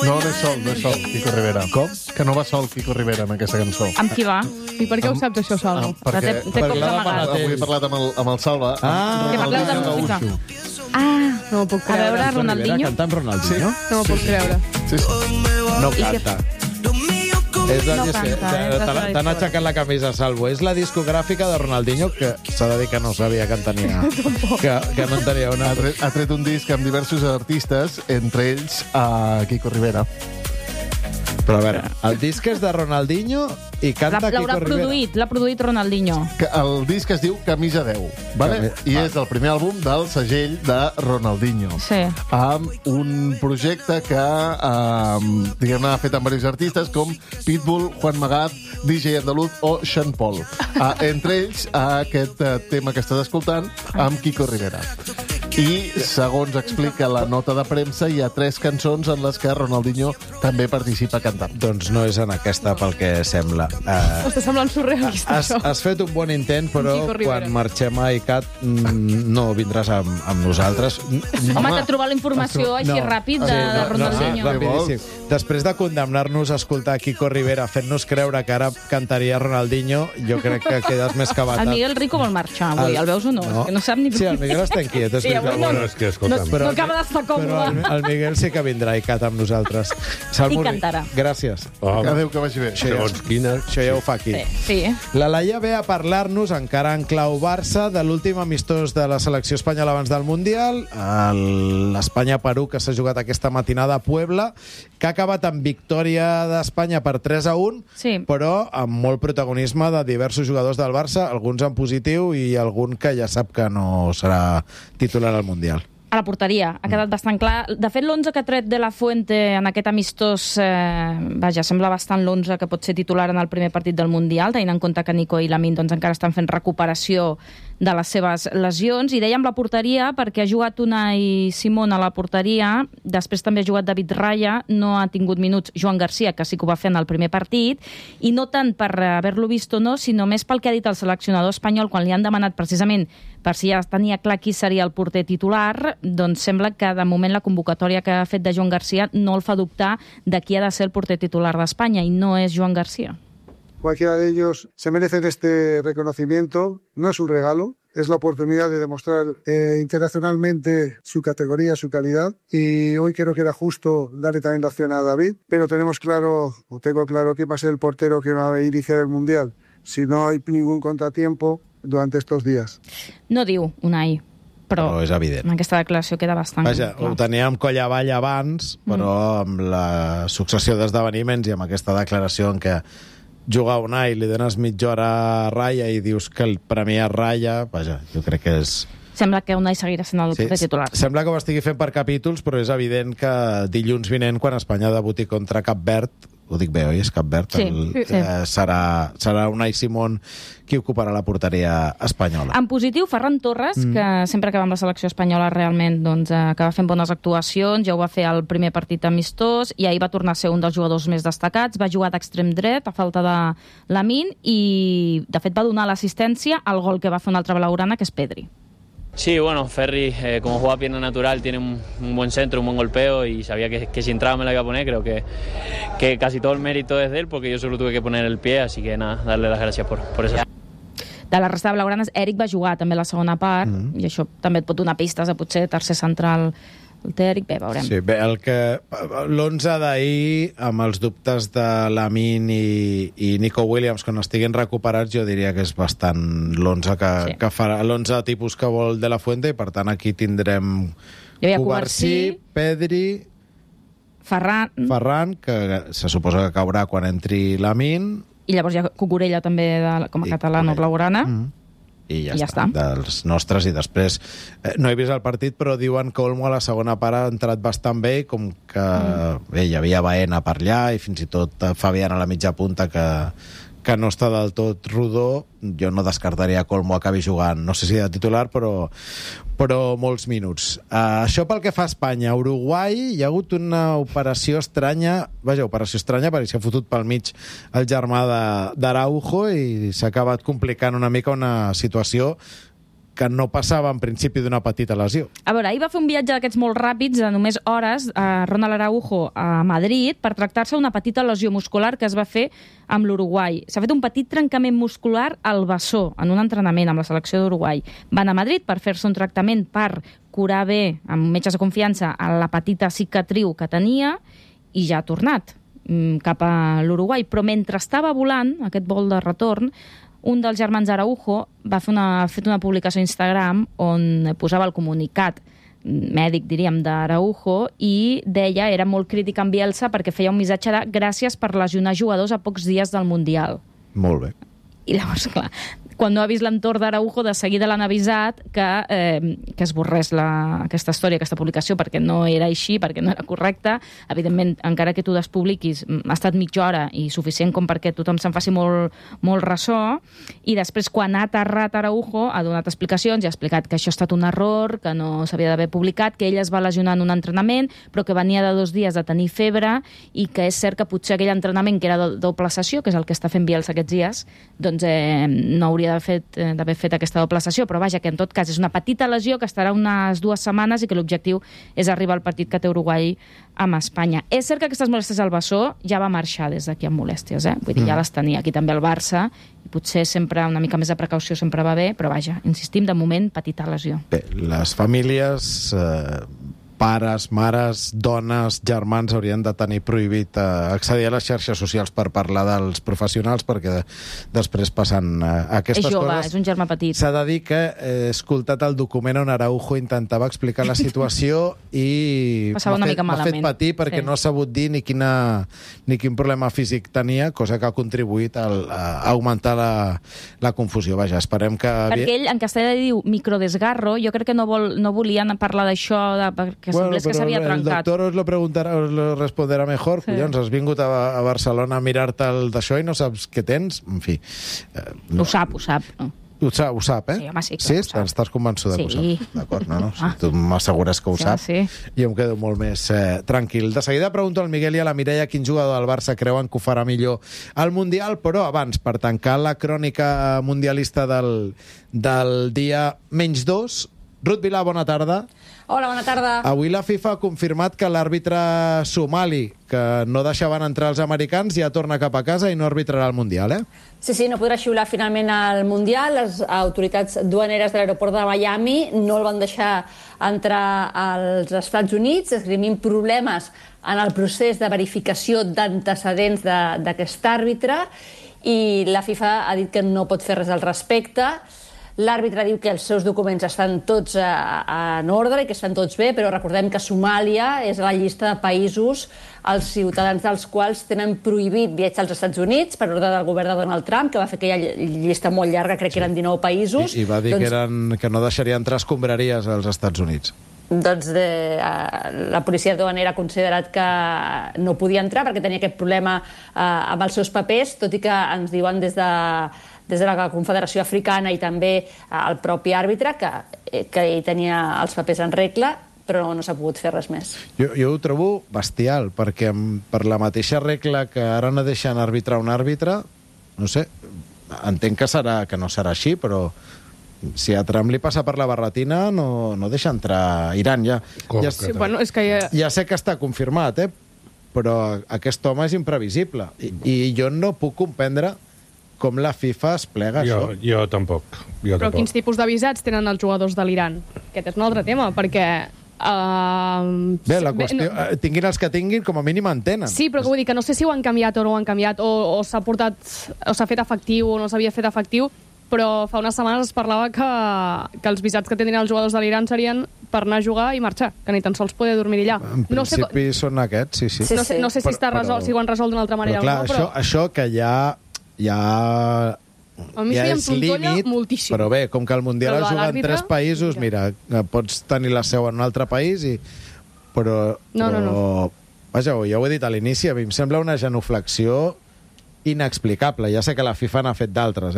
No és sol, Quico Rivera. Com? Que no va sol Quico Rivera en aquesta cançó. Amb qui va? I per què ho saps, això, Salvo? Perquè Té cops amagats. avui he parlat amb el Salva. Que parleu de música. Ah, No m'ho puc a creure. veure, Ronaldinho. Canta amb Ronaldinho? No m'ho puc creure. Sí. No canta. És la No disc... canta, T'han aixecat la camisa, Salvo. És la discogràfica de Ronaldinho, que s'ha de dir que no sabia que en tenia... que no en tenia una... Ha tret un disc amb diversos artistes, entre ells Quico Rivera. Però a veure, el disc és de Ronaldinho i canta L'haurà Quico Rivera. l'ha produït Ronaldinho. El disc es diu Camisa 10, vale? I és el primer àlbum del segell de Ronaldinho. Sí. Amb un projecte que diguem-ne ha fet amb diversos artistes com Pitbull, Juan Magán, DJ Andaluz o Sean Paul. Entre ells aquest tema que estàs escoltant amb Quico Rivera. I, segons explica la nota de premsa, hi ha 3 cançons en les que Ronaldinho també participa cantant. Doncs no és en aquesta, pel que sembla. Està semblant surrealista, això. Has fet un bon intent, però Quico Rivera. quan marxem a ICAT no vindràs amb nosaltres. Home, t'ha trobat la informació així ràpid de Ronaldinho. Rapidíssim. Després de condemnar-nos a escoltar Quico Rivera fent-nos creure que ara cantaria Ronaldinho, jo crec que quedes més que batat. El Miguel Rico vol marxar avui, el veus o no? És que no sap ni... Sí, el Miguel està inquiet. És Sí, veritat. avui no. Bueno, és que, escolta'm, No acaba d'estar Però còmode. el Miguel sí que vindrà a ICAT amb nosaltres. Salmo, I cantarà. Gràcies. Adéu, que vagi bé. segons quina... Això ja ho fa aquí. Sí. La Laia ve a parlar-nos, encara en clau Barça, de l'últim amistós de la selecció espanyola abans del Mundial, l'Espanya-Perú, que s'ha jugat aquesta matinada a Puebla, que ha acabat amb victòria d'Espanya per 3-1, Sí. però amb molt protagonisme de diversos jugadors del Barça, alguns en positiu i algun que ja sap que no serà titular al Mundial. A la porteria, ha quedat bastant clar. De fet, l'11 que ha tret de la Fuente en aquest amistós, sembla bastant l'11 que pot ser titular en el primer partit del Mundial, tenint en compte que Nico i Lamine encara estan fent recuperació de les seves lesions. I dèiem la porteria perquè ha jugat Unai Simón a la porteria, després també ha jugat David Raya, no ha tingut minuts Joan Garcia, que sí que ho va fer en el primer partit, i no tant per haver-lo vist o no, sinó més pel que ha dit el seleccionador espanyol quan li han demanat precisament per si ja tenia clar qui seria el porter titular, doncs sembla que de moment la convocatòria que ha fet de Joan Garcia no el fa dubtar de qui ha de ser el porter titular d'Espanya, i no és Joan Garcia. Cualquiera de ellos se merecen este reconocimiento. No es un regalo, es la oportunidad de demostrar internacionalmente su categoría, su calidad. Y hoy creo que era justo darle también la opción a David, pero tengo claro que va a ser el portero que va a iniciar el Mundial si no hay ningún contratiempo durante estos días. No diu Unai, però és evident. en aquesta declaració queda bastant Vaja, clar. ho teníem coll avall abans, però amb la successió d'esdeveniments i amb aquesta declaració en què jugar Unai, li dones mitja hora a Raya i dius que el premia Raya, vaja, jo crec que és... Sembla que Unai seguirà sent el porter titular. Sembla que ho estigui fent per capítols, però és evident que dilluns vinent, quan Espanya debuti contra Cap Verd, ho dic bé, oi? És Cap Verd? Sí. Serà Unai Simón qui ocuparà la porteria espanyola. En positiu, Ferran Torres, que sempre que va amb la selecció espanyola realment acaba fent bones actuacions, ja ho va fer al primer partit amistós, i ahir va tornar a ser un dels jugadors més destacats, va jugar d'extrem dret a falta de Lamine, i de fet va donar l'assistència al gol que va fer un altre blaugrana, que és Pedri. Sí, bueno, Ferri, como juega pierna natural, tiene un buen centro, un buen golpeo, y sabía que si entraba me la iba a poner. Creo que casi todo el mérito es de él, porque yo solo tuve que poner el pie, así que nada, darle las gracias por eso. De la resta de blaugranes, Eric va jugar també a la segona part, i això també et pot donar pistes de potser tercer central. El té Eric, bé, veurem. Sí, bé, l'11 d'ahir, amb els dubtes de Lamine i Nico Williams, quan estiguin recuperats, jo diria que és bastant l'11 que farà, l'11 tipus que vol de la Fuente, i per tant aquí tindrem Cubarsí, Pedri, Ferran, que se suposa que caurà quan entri Lamine, i llavors hi ha Cucurella també com a català no blaugrana. I ja està, dels nostres. I després, no he vist el partit, però diuen que Olmo a la segona part ha entrat bastant bé, com que bé, hi havia Baena per allà, i fins i tot Fabián a la mitja punta, que que no està del tot rodó, jo no descartaria que Olmo acabi jugant, no sé si de titular, però molts minuts. Això pel que fa a Espanya. A Uruguai hi ha hagut una operació estranya, perquè s'ha fotut pel mig el germà d'Araujo i s'ha acabat complicant una mica una situació que no passava en principi d'una petita lesió. A veure, ahir va fer un viatge d'aquests molt ràpids, de només hores, a Ronald Araujo a Madrid, per tractar-se una petita lesió muscular que es va fer amb l'Uruguai. S'ha fet un petit trencament muscular al bessó, en un entrenament amb la selecció d'Uruguai. Va anar a Madrid per fer-se un tractament per curar bé, amb metges de confiança, a la petita cicatriu que tenia, i ja ha tornat cap a l'Uruguai. Però mentre estava volant, aquest vol de retorn, un dels germans Araujo va fer una publicació a Instagram on posava el comunicat mèdic, diríem, d'Araujo i deia, era molt crític amb Bielsa perquè feia un missatge de gràcies per lesionar jugadors a pocs dies del Mundial. Molt bé. I llavors, clar, quan no ha vist l'entorn d'Araujo, de seguida l'han avisat que esborrés aquesta història, aquesta publicació, perquè no era així, perquè no era correcta. Evidentment, encara que tu despubliquis, ha estat mitja hora i suficient com perquè tothom se'n faci molt ressò. I després, quan ha aterrat Araujo, ha donat explicacions i ha explicat que això ha estat un error, que no s'havia d'haver publicat, que ell es va lesionar en un entrenament, però que venia de 2 dies de tenir febre i que és cert que potser aquell entrenament, que era de doble sessió, que és el que està fent Bielsa aquests dies, doncs no hauria d'haver fet aquesta doble sessió, però vaja, que en tot cas és una petita lesió que estarà unes 2 setmanes i que l'objectiu és arribar al partit que té Uruguai amb Espanya. És cert que aquestes molèsties al bessó ja va marxar des d'aquí amb molèsties, Vull dir, ja les tenia aquí també al Barça, i potser sempre una mica més de precaució sempre va bé, però vaja, insistim, de moment, petita lesió. Bé, les famílies, pares, mares, dones, germans haurien de tenir prohibit accedir a les xarxes socials per parlar dels professionals, perquè després passen aquestes coses. És jove, és un germà petit. S'ha de dir que he escoltat el document on Araujo intentava explicar la situació i m'ha fet patir perquè no ha sabut dir ni quin problema físic tenia, cosa que ha contribuït a augmentar la confusió. Vaja, esperem que... Perquè ell en castellà diu microdesgarro, jo crec que no volien parlar d'això, que semblés que s'havia trencat. El doctor os lo responderà mejor. Sí. Collons, has vingut a Barcelona a mirar-te el d'això i no saps què tens? En fi. No. Ho sap. No? Ho sap, Sí, home, sí, sí? Estàs convençuda que ho sap? D'acord, no? Si tu m'assegures que ho sap, jo em quedo molt més tranquil. De seguida pregunto al Miguel i a la Mireia quin jugador del Barça creuen que ho farà millor al Mundial, però abans, per tancar la crònica mundialista del dia -2, Ruth Vilà, bona tarda. Hola, bona tarda. Avui la FIFA ha confirmat que l'àrbitre somali, que no deixaven entrar els americans, ja torna cap a casa i no arbitrarà el Mundial, Sí, no podrà xiular finalment al Mundial. Les autoritats duaneres de l'aeroport de Miami no el van deixar entrar als Estats Units, esgrimint problemes en el procés de verificació d'antecedents d'aquest àrbitre, i la FIFA ha dit que no pot fer res al respecte. L'àrbitre diu que els seus documents estan tots en ordre i que estan tots bé, però recordem que Somàlia és a la llista de països els ciutadans dels quals tenen prohibit viatjar als Estats Units per ordre del govern de Donald Trump, que va fer aquella llista molt llarga, crec que eren 19 països. I va dir que no deixaria entrar escombraries als Estats Units. Doncs la policia duanera ha considerat que no podia entrar perquè tenia aquest problema amb els seus papers, tot i que ens diuen des de la Confederació Africana i també el propi àrbitre que ell tenia els papers en regla, però no s'ha pogut fer res més. Jo ho trobo bestial, perquè per la mateixa regla que ara no deixen arbitrar un àrbitre, no sé, entenc que no serà així, però si a Trump li passa per la barretina no deixa entrar Iran. Ja sé que està confirmat, però aquest home és imprevisible i jo no puc comprendre com la FIFA es plega això. Jo tampoc. Però quins tipus de visats tenen els jugadors de l'Iran? Aquest és un altre tema, perquè... Bé, la qüestió... Tinguin els que tinguin, com a mínim en tenen. Sí, però vull dir que no sé si ho han canviat o no ho han canviat, o s'ha portat, o s'ha fet efectiu o no s'havia fet efectiu, però fa unes setmanes es parlava que els visats que tindrien els jugadors de l'Iran serien per anar a jugar i marxar, que ni tan sols poder dormir allà. En principi són aquests, sí. No sé si està resolt, si ho han resolt d'una altra manera o no, però... Això que ja és límit, però bé, com que el Mundial es juga en 3 països, mira, pots tenir la seu en un altre país, però... No. Vaja, ja ho he dit a l'inici, a mi em sembla una genuflexió inexplicable. Ja sé que la FIFA n'ha fet d'altres,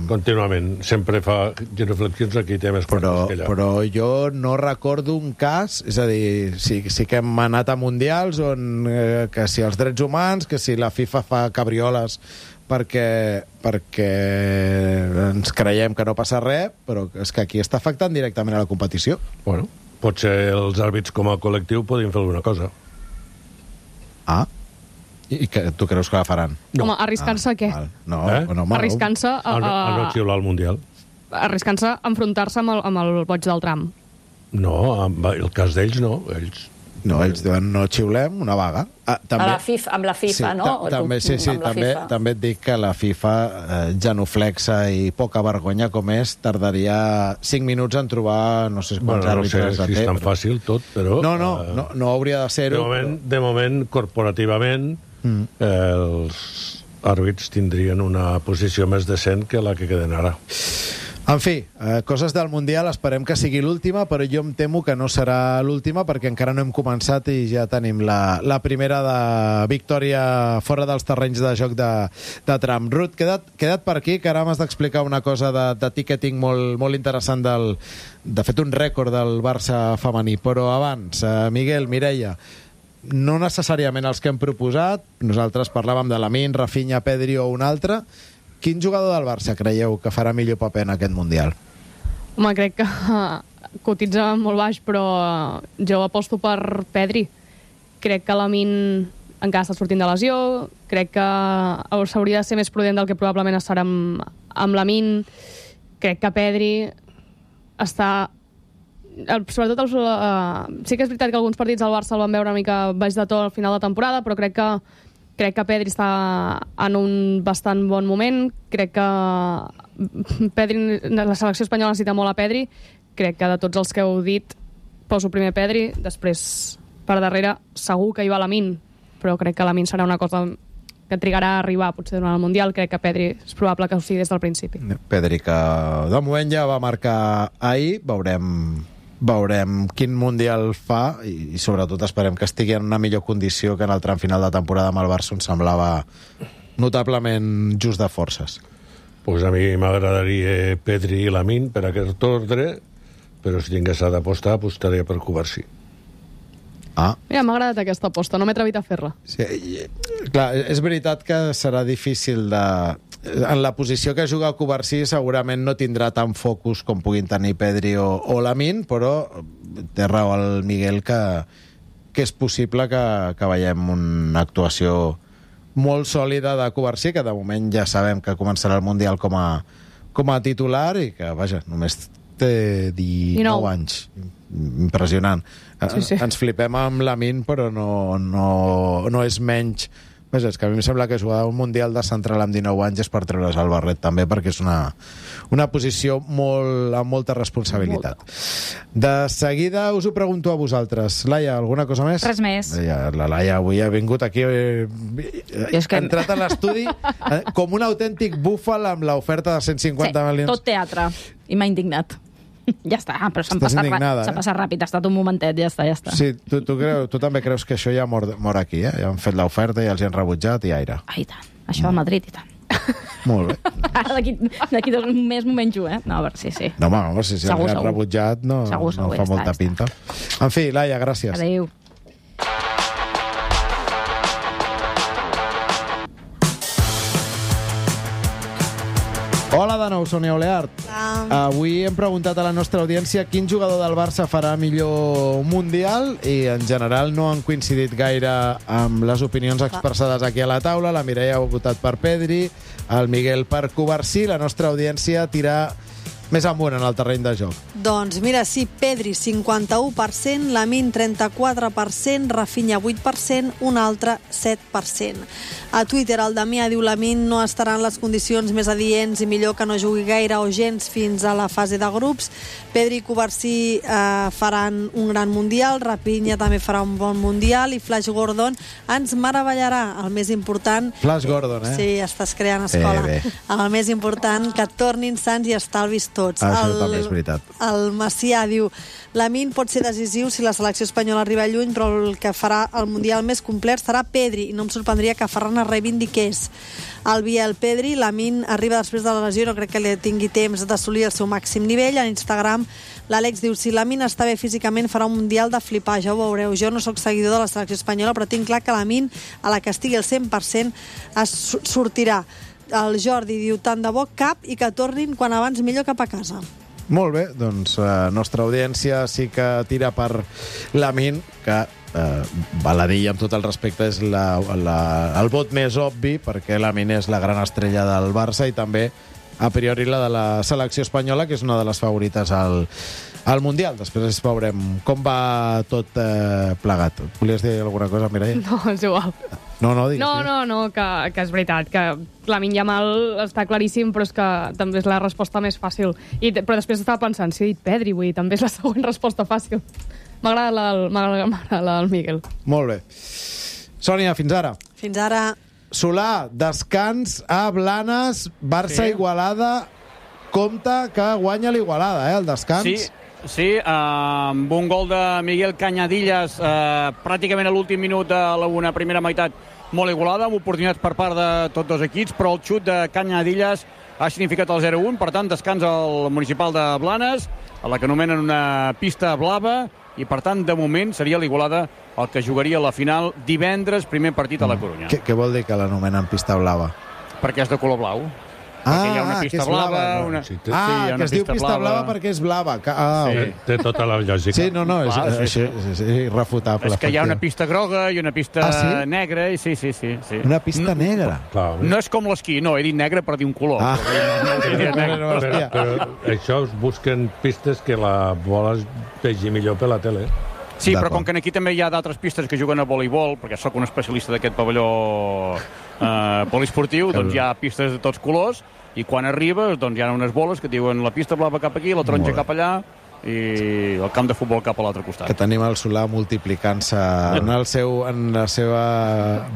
Contínuament. Sempre fa genuflexions aquí, té més coses que allà. Però jo no recordo un cas, és a dir, sí que hem anat a mundials on que si els drets humans, que si la FIFA fa cabrioles perquè ens creiem que no passa res, però és que aquí està afectant directament a la competició. Bueno, potser els àrbits com a col·lectiu podien fer alguna cosa. I que tu creus que la faran? Home, arriscant-se a què? No, arriscant-se a no xiular al Mundial. Arriscant-se a enfrontar-se amb el boig del tram. No, el cas d'ells no. Ells diuen no xiulem, una vaga. Amb la FIFA, no? També et dic que la FIFA, genuflexa i poca vergonya com és, tardaria 5 minuts en trobar no sé quants àrbitres de té. No sé si és tan fàcil tot, però... No hauria de ser-ho. De moment, corporativament, els àrbits tindrien una posició més decent que la que queden ara. En fi, coses del Mundial, esperem que sigui l'última, però jo em temo que no serà l'última perquè encara no hem començat i ja tenim la primera de victòria fora dels terrenys de joc de Trump. Ruth, queda't per aquí, que ara m'has d'explicar una cosa de ticketing molt interessant, de fet un rècord del Barça femení. Però abans, Miguel, Mireia, no necessàriament els que hem proposat, nosaltres parlàvem de Lamine, Rafinha, Pedri o un altre. Quin jugador del Barça creieu que farà millor paper en aquest Mundial? Home, crec que cotitza molt baix, però jo aposto per Pedri. Crec que Lamine encara està sortint de lesió, crec que s'hauria de ser més prudent del que probablement estarà amb Lamine. Crec que Pedri està... Sobretot, sí que és veritat que alguns partits del Barça el van veure una mica baix de to al final de temporada, però crec que Pedri està en un bastant bon moment. Crec que la selecció espanyola necessita molt a Pedri. Crec que de tots els que heu dit poso primer Pedri, després per darrere segur que hi va Lamine, però crec que Lamine serà una cosa que trigarà a arribar potser durant el Mundial. Crec que Pedri és probable que ho sigui des del principi. Pedri, que de moment ja va marcar ahir, veurem quin Mundial fa i sobretot esperem que estigui en una millor condició que en el tram final de temporada amb el Barça, on semblava notablement just de forces. Pues a mi m'agradaria Pedri i Lamine per aquest ordre, però si tingués d'apostar, apostaria per Cubarsí. Mira, m'ha agradat aquesta aposta, no m'he atrevit a fer-la. Sí, clar, és veritat que serà difícil en la posició que juga Cubarsí segurament no tindrà tant focus com puguin tenir Pedri o Lamine, però té raó el Miguel que és possible que veiem una actuació molt sòlida de Cubarsí, que de moment ja sabem que començarà el Mundial com a titular i que, vaja, només té 19 anys. Impressionant. Sí. Ens flipem amb Lamine, però no és menys. Vaja, és que a mi em sembla que jugar un Mundial de central amb 19 anys és per treure's el barret també, perquè és una posició amb molta responsabilitat. De seguida us ho pregunto a vosaltres. Laia, alguna cosa més? Res més. La Laia avui ha vingut aquí, ha entrat a l'estudi com un autèntic búfal amb l'oferta de 150 milions. Tot teatre. I m'ha indignat. Ja està, però s'ha passat ràpid, ha estat un momentet, ja està. Sí, tu també creus que això ja mor aquí, eh? Ja han fet l'oferta i els han rebutjat i aire. I tant, això a Madrid i tant. Molt bé. Ara d'aquí 2 mesos m'ho menjo, eh? No, a veure, sí. No, home, si els han rebutjat no fa molta pinta. En fi, Laia, gràcies. Adéu. Hola de nou, Sònia Oleart. Avui hem preguntat a la nostra audiència quin jugador del Barça farà millor Mundial i en general no han coincidit gaire amb les opinions expressades aquí a la taula. La Mireia ha votat per Pedri, el Miguel per Cubarsí. La nostra audiència tira més amunt en el terreny de joc. Doncs mira, sí, Pedri 51%, Lamine 34%, Rafinha 8%, un altre 7%. A Twitter el Damià diu Lamine no estarà en les condicions més adients i millor que no jugui gaire o gens fins a la fase de grups. Pedri i Cubarsí faran un gran Mundial, Rafinha també farà un bon Mundial i Flash Gordon ens meravellarà. El més important... Flash Gordon, eh? Sí, estàs creant escola. Bé. El més important, que tornin sants i estalvis tots. Això també és veritat. El Macià diu: Lamine pot ser decisiu si la selecció espanyola arriba lluny, però el que farà el Mundial més complet serà Pedri, i no em sorprendria que Ferran es reivindiqués. El Biel: Pedri, Lamine arriba després de la lesió i no crec que li tingui temps d'assolir el seu màxim nivell. En Instagram l'Àlex diu: si Lamine està bé físicament farà un Mundial de flipar, ja ho veureu. Jo no sóc seguidor de la selecció espanyola, però tinc clar que Lamine, a la que estigui al 100%, es sortirà. El Jordi diu: tant de bo cap i que tornin quan abans millor cap a casa. Molt bé, doncs la nostra audiència sí que tira per Lamine, que val a dir, amb tot el respecte, és el vot més obvi, perquè Lamine és la gran estrella del Barça i també, a priori, la de la selecció espanyola, que és una de les favorites al Mundial. Després veurem com va tot plegat. Volies dir alguna cosa, Mireia? No, és igual. No, digues. No, que és veritat, que Lamine Yamal està claríssim, però és que també és la resposta més fàcil. Però després estava pensant, si he dit Pedri, vull dir, també és la següent resposta fàcil. M'agrada el Miguel. Molt bé. Sònia, fins ara. Fins ara. Solà, descans a Blanes, Barça-Igualada. Compte que guanya l'Igualada, el descans. Sí, amb un gol de Miguel Cañadillas pràcticament a l'últim minut de la primera meitat molt igualada, amb oportunitats per part de tots dos equips, però el xut de Cañadillas ha significat el 0-1, per tant descans al municipal de Blanes, a la que anomenen una pista blava, i per tant de moment seria l'Igualada el que jugaria la final divendres, primer partit a la Corunya. Què vol dir que l'anomenen pista blava? Perquè és de color blau. Perquè hi ha una pista blava. Que es diu pista blava perquè és blava. Té tota la lògica. Sí, és irrefutable. És que hi ha una pista groga i una pista negra. Sí. Una pista negra? No és com l'esquí, no, he dit negra per dir un color. Però això us busquen pistes que la bola es vegi millor per la tele. Sí, però com que aquí també hi ha d'altres pistes que juguen a voleibol, perquè sóc un especialista d'aquest pavelló poliesportiu, doncs hi ha pistes de tots colors, i quan arribes doncs hi ha unes boles que diuen la pista blava cap aquí, la taronja cap allà, i el camp de futbol cap a l'altre costat. Que tenim el Solà multiplicant-se en la seva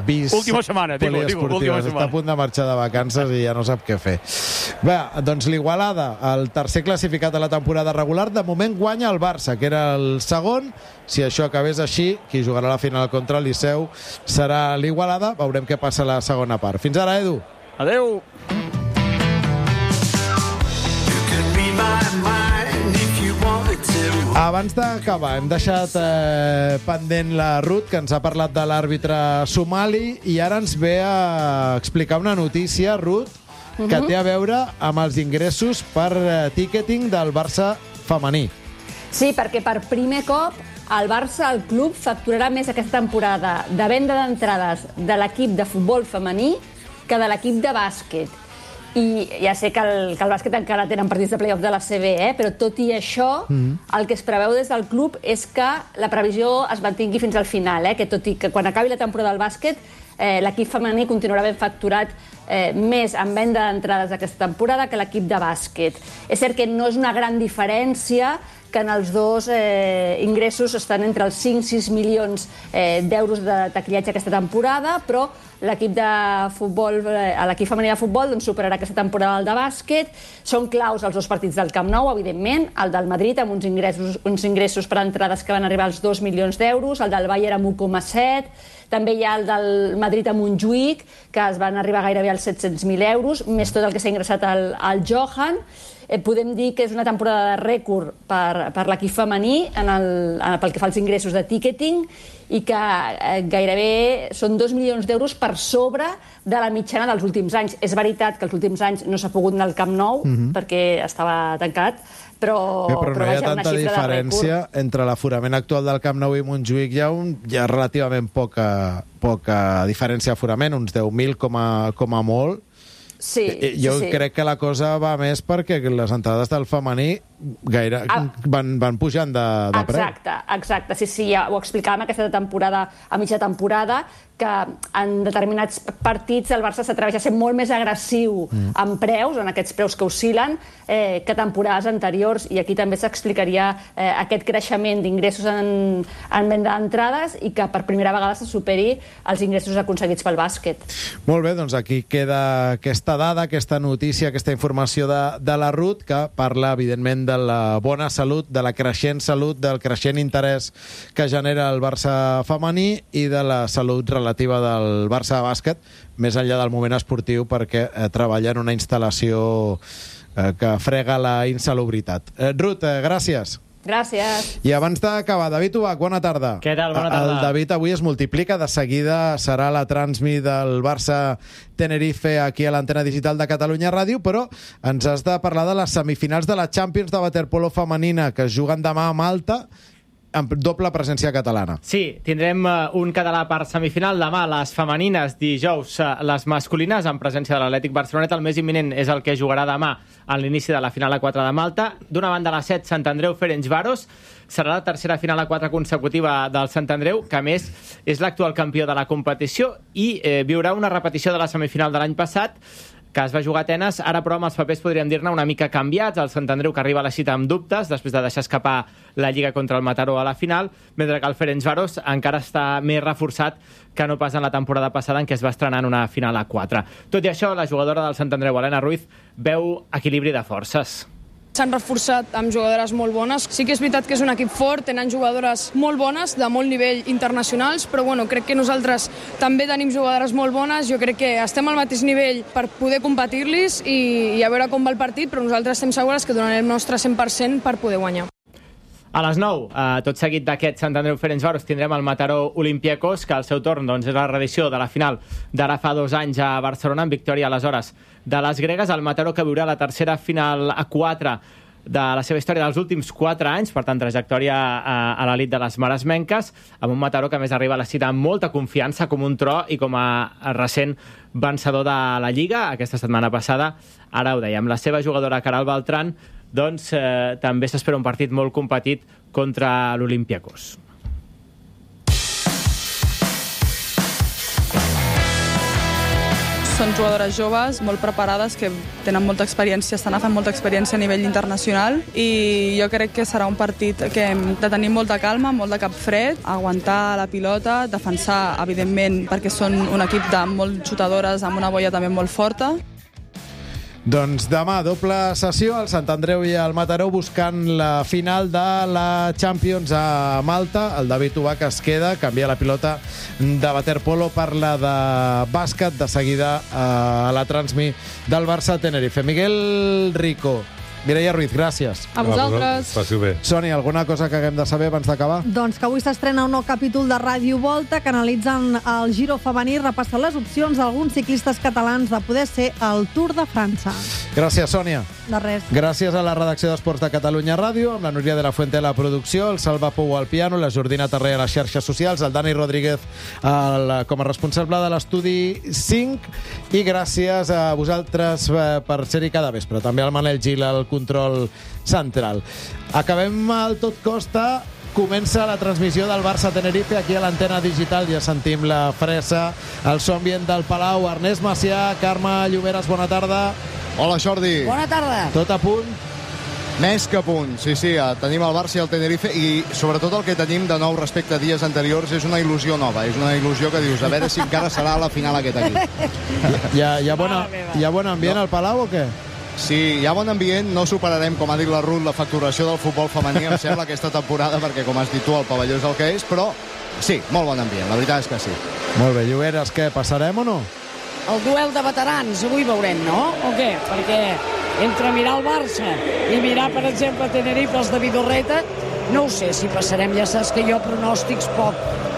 última setmana, última setmana. Està a punt de marxar de vacances i ja no sap què fer. Bé, doncs l'Igualada, el tercer classificat de la temporada regular, de moment guanya el Barça, que era el segon. Si això acabés així, qui jugarà la final contra el Liceu serà l'Igualada. Veurem què passa a la segona part. Fins ara, Edu. Adeu. Abans d'acabar, hem deixat pendent la Ruth, que ens ha parlat de l'àrbitre somali, i ara ens ve a explicar una notícia, Ruth, que té a veure amb els ingressos per ticketing del Barça femení. Sí, perquè per primer cop el Barça, el club, facturarà més aquesta temporada de venda d'entrades de l'equip de futbol femení que de l'equip de bàsquet. I ja sé que el bàsquet encara tenen partits de play-off de la CB, però tot i això, el que es preveu des del club és que la previsió es mantingui fins al final, que tot i que quan acabi la temporada del bàsquet, l'equip femení continuarà ben facturat més en venda d'entrades aquesta temporada que l'equip de bàsquet. És cert que no és una gran diferència, que en els dos ingressos estan entre els 5 i 6 milions d'euros de taquillatge aquesta temporada, però l'equip de futbol, l'equip femení de futbol doncs superarà aquesta temporada el de bàsquet. Són claus els dos partits del Camp Nou, evidentment, el del Madrid amb uns ingressos per entrades que van arribar als 2 milions d'euros, el del Bayern amb 1,7, també hi ha el del Madrid a Montjuïc, que es van arribar gairebé als 700.000 euros, més tot el que s'ha ingressat al Johan. Podem dir que és una temporada de rècord per l'equip femení pel que fa als ingressos de ticketing i que gairebé són 2 milions d'euros per sobre de la mitjana dels últims anys. És veritat que els últims anys no s'ha pogut anar al Camp Nou perquè estava tancat, però no hi ha tanta diferència entre l'aforament actual del Camp Nou i Montjuïc. Hi ha relativament poca diferència d'aforament, uns 10.000 com a molt. Sí, jo crec que la cosa va més perquè les entrades del femení van pujant de preu. Exacte, sí, ja ho explicàvem aquesta temporada, a mitja temporada, que en determinats partits el Barça s'atreveix a ser molt més agressiu en preus, en aquests preus que oscil·len, que temporades anteriors, i aquí també s'explicaria aquest creixement d'ingressos en venda d'entrades i que per primera vegada se superi els ingressos aconseguits pel bàsquet. Molt bé, doncs aquí queda aquesta dada, aquesta notícia, aquesta informació de la Ruth, que parla, evidentment, de la bona salut, de la creixent salut, del creixent interès que genera el Barça femení i de la salut relativa del Barça de bàsquet, més enllà del moment esportiu, perquè treballa en una instal·lació que frega la insalubritat. Ruth, gràcies. Gràcies. I abans d'acabar, David Ubach, bona tarda. Què tal? Bona tarda. El David avui es multiplica, de seguida serà la transmi del Barça Tenerife aquí a l'antena digital de Catalunya Ràdio, però ens has de parlar de les semifinals de la Champions de waterpolo femenina que es juguen demà a Malta, amb doble presència catalana. Sí, tindrem un català per semifinal demà, les femenines, dijous les masculines, en presència de l'Atlètic Barceloneta. El més imminent és el que jugarà demà a l'inici de la final A4 de Malta. D'una banda, a les 7, Sant Andreu Ferencváros. Serà la tercera final A4 consecutiva del Sant Andreu, que a més és l'actual campió de la competició i viurà una repetició de la semifinal de l'any passat, que es va jugar a Atenes. Ara, però, amb els papers podríem dir-ne una mica canviats. El Sant Andreu, que arriba a la cita amb dubtes, després de deixar escapar la Lliga contra el Mataró a la final, mentre que el Ferencváros encara està més reforçat que no pas en la temporada passada, en què es va estrenar en una final A4. Tot i això, la jugadora del Sant Andreu, Helena Ruiz, veu equilibri de forces. S'han reforçat amb jugadores molt bones. Sí que és veritat que és un equip fort, tenen jugadores molt bones, de molt nivell internacionals, però bueno, crec que nosaltres també tenim jugadores molt bones. Jo crec que estem al mateix nivell per poder competir-los i a veure com va el partit, però nosaltres estem segures que donarem el nostre 100% per poder guanyar. A les 9, tot seguit d'aquest Sant Andreu Ferencváros, tindrem el Mataró Olympiacos, que al seu torn és la reedició de la final d'ara fa 2 anys a Barcelona, amb victòria aleshores de les gregues. El Mataró, que viurà la tercera final A4 de la seva història dels últims 4 anys, per tant, trajectòria a l'elit de les maresmenques, amb un Mataró que a més arriba a la cita amb molta confiança, com un tro i com a recent vencedor de la Lliga aquesta setmana passada. Ara ho dèiem, la seva jugadora Caral Beltrán, doncs també s'espera un partit molt competit contra l'Olympiacos. Són jugadores joves, molt preparades, que tenen molta experiència, estan agafant molta experiència a nivell internacional, i jo crec que serà un partit que hem de tenir molta calma, molt de cap fred, aguantar la pilota, defensar, evidentment, perquè són un equip de molt xutadores amb una boia també molt forta. Doncs demà, doble sessió, el Sant Andreu i el Mataró buscant la final de la Champions a Malta. El David Ubach es queda, canvia la pilota de waterpolo per la de bàsquet, de seguida a la transmi del Barça Tenerife. Miguel Rico, Mireia Ruiz, gràcies. A vosaltres. Passi bé. Sònia, alguna cosa que haguem de saber abans d'acabar? Doncs que avui s'estrena un nou capítol de Ràdio Volta que analitzen el Giro femení i repassen les opcions d'alguns ciclistes catalans de poder ser al Tour de França. Gràcies, Sònia. De res. Gràcies a la redacció d'Esports de Catalunya Ràdio, amb la Núria de la Fuente a la producció, el Salva Pou al piano, la Jordina Tarré a les xarxes socials, el Dani Rodríguez com a responsable de l'Estudi 5, i gràcies a vosaltres per ser-hi cada vespre. També al Manel Gil al control central. Acabem al Tot Costa. Comença la transmissió del Barça Tenerife aquí a l'antena digital. Ja sentim la fressa, el so ambient del Palau. Ernest Macià, Carme Lloberes, bona tarda. Hola, Jordi. Bona tarda. Tot a punt? Més que a punt, sí. Tenim el Barça i el Tenerife, i sobretot el que tenim de nou respecte a dies anteriors és una il·lusió nova. És una il·lusió que dius, a veure si encara serà la final aquest equip. Hi ha bon ambient al Palau o què? Sí, hi ha bon ambient, no superarem, com ha dit la Ruth, la facturació del futbol femení, em sembla, aquesta temporada, perquè, com has dit tu, el pavelló és el que és, però sí, molt bon ambient, la veritat és que sí. Molt bé, Lloberes, què, passarem o no? El duel de veterans, avui veurem, no? O què? Perquè entre mirar el Barça i mirar, per exemple, Tenerife, els de Vidorreta, no ho sé si passarem, ja saps que jo pronòstics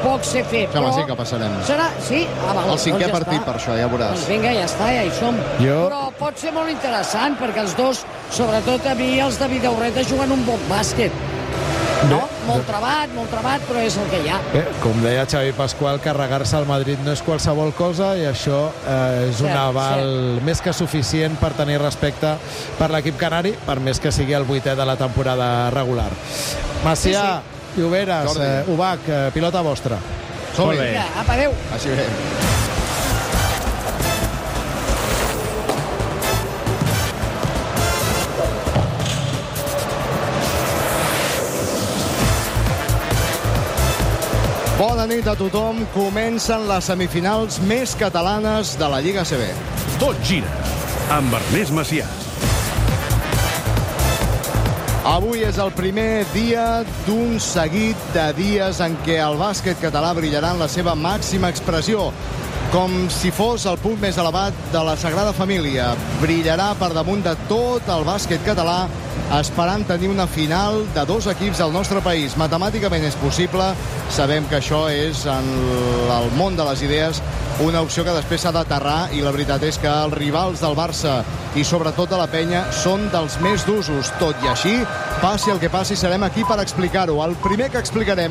poc sé fer, però... Sí que passarem. Serà? Sí? El cinquè partit, per això, ja veuràs. Doncs vinga, ja està, ja hi som. Però pot ser molt interessant, perquè els dos, sobretot a mi, els de Vidorreta, juguen un bon bàsquet. No? Molt trebat, però és el que hi ha. Com deia Xavi Pasqual, carregar-se al Madrid no és qualsevol cosa, i això és un aval més que suficient per tenir respecte per l'equip canari, per més que sigui el 8è de la temporada regular. Macià, Lloberes, Ubach, pilota vostra. Som-hi. Vinga, apa, adéu. Així bé. Bona nit a tothom. Comencen les semifinals més catalanes de la Lliga ACB. Tot gira amb Ernest Macià. Avui és el primer dia d'un seguit de dies en què el bàsquet català brillarà en la seva màxima expressió, com si fos el punt més elevat de la Sagrada Família. Brillarà per damunt de tot el bàsquet català, esperant tenir una final de 2 equips al nostre país. Matemàticament és possible, sabem que això és, en el món de les idees, una opció que després s'ha d'aterrar, i la veritat és que els rivals del Barça i sobretot de la Penya són dels més d'usos. Tot i així, passi el que passi, serem aquí per explicar-ho. El primer que explicarem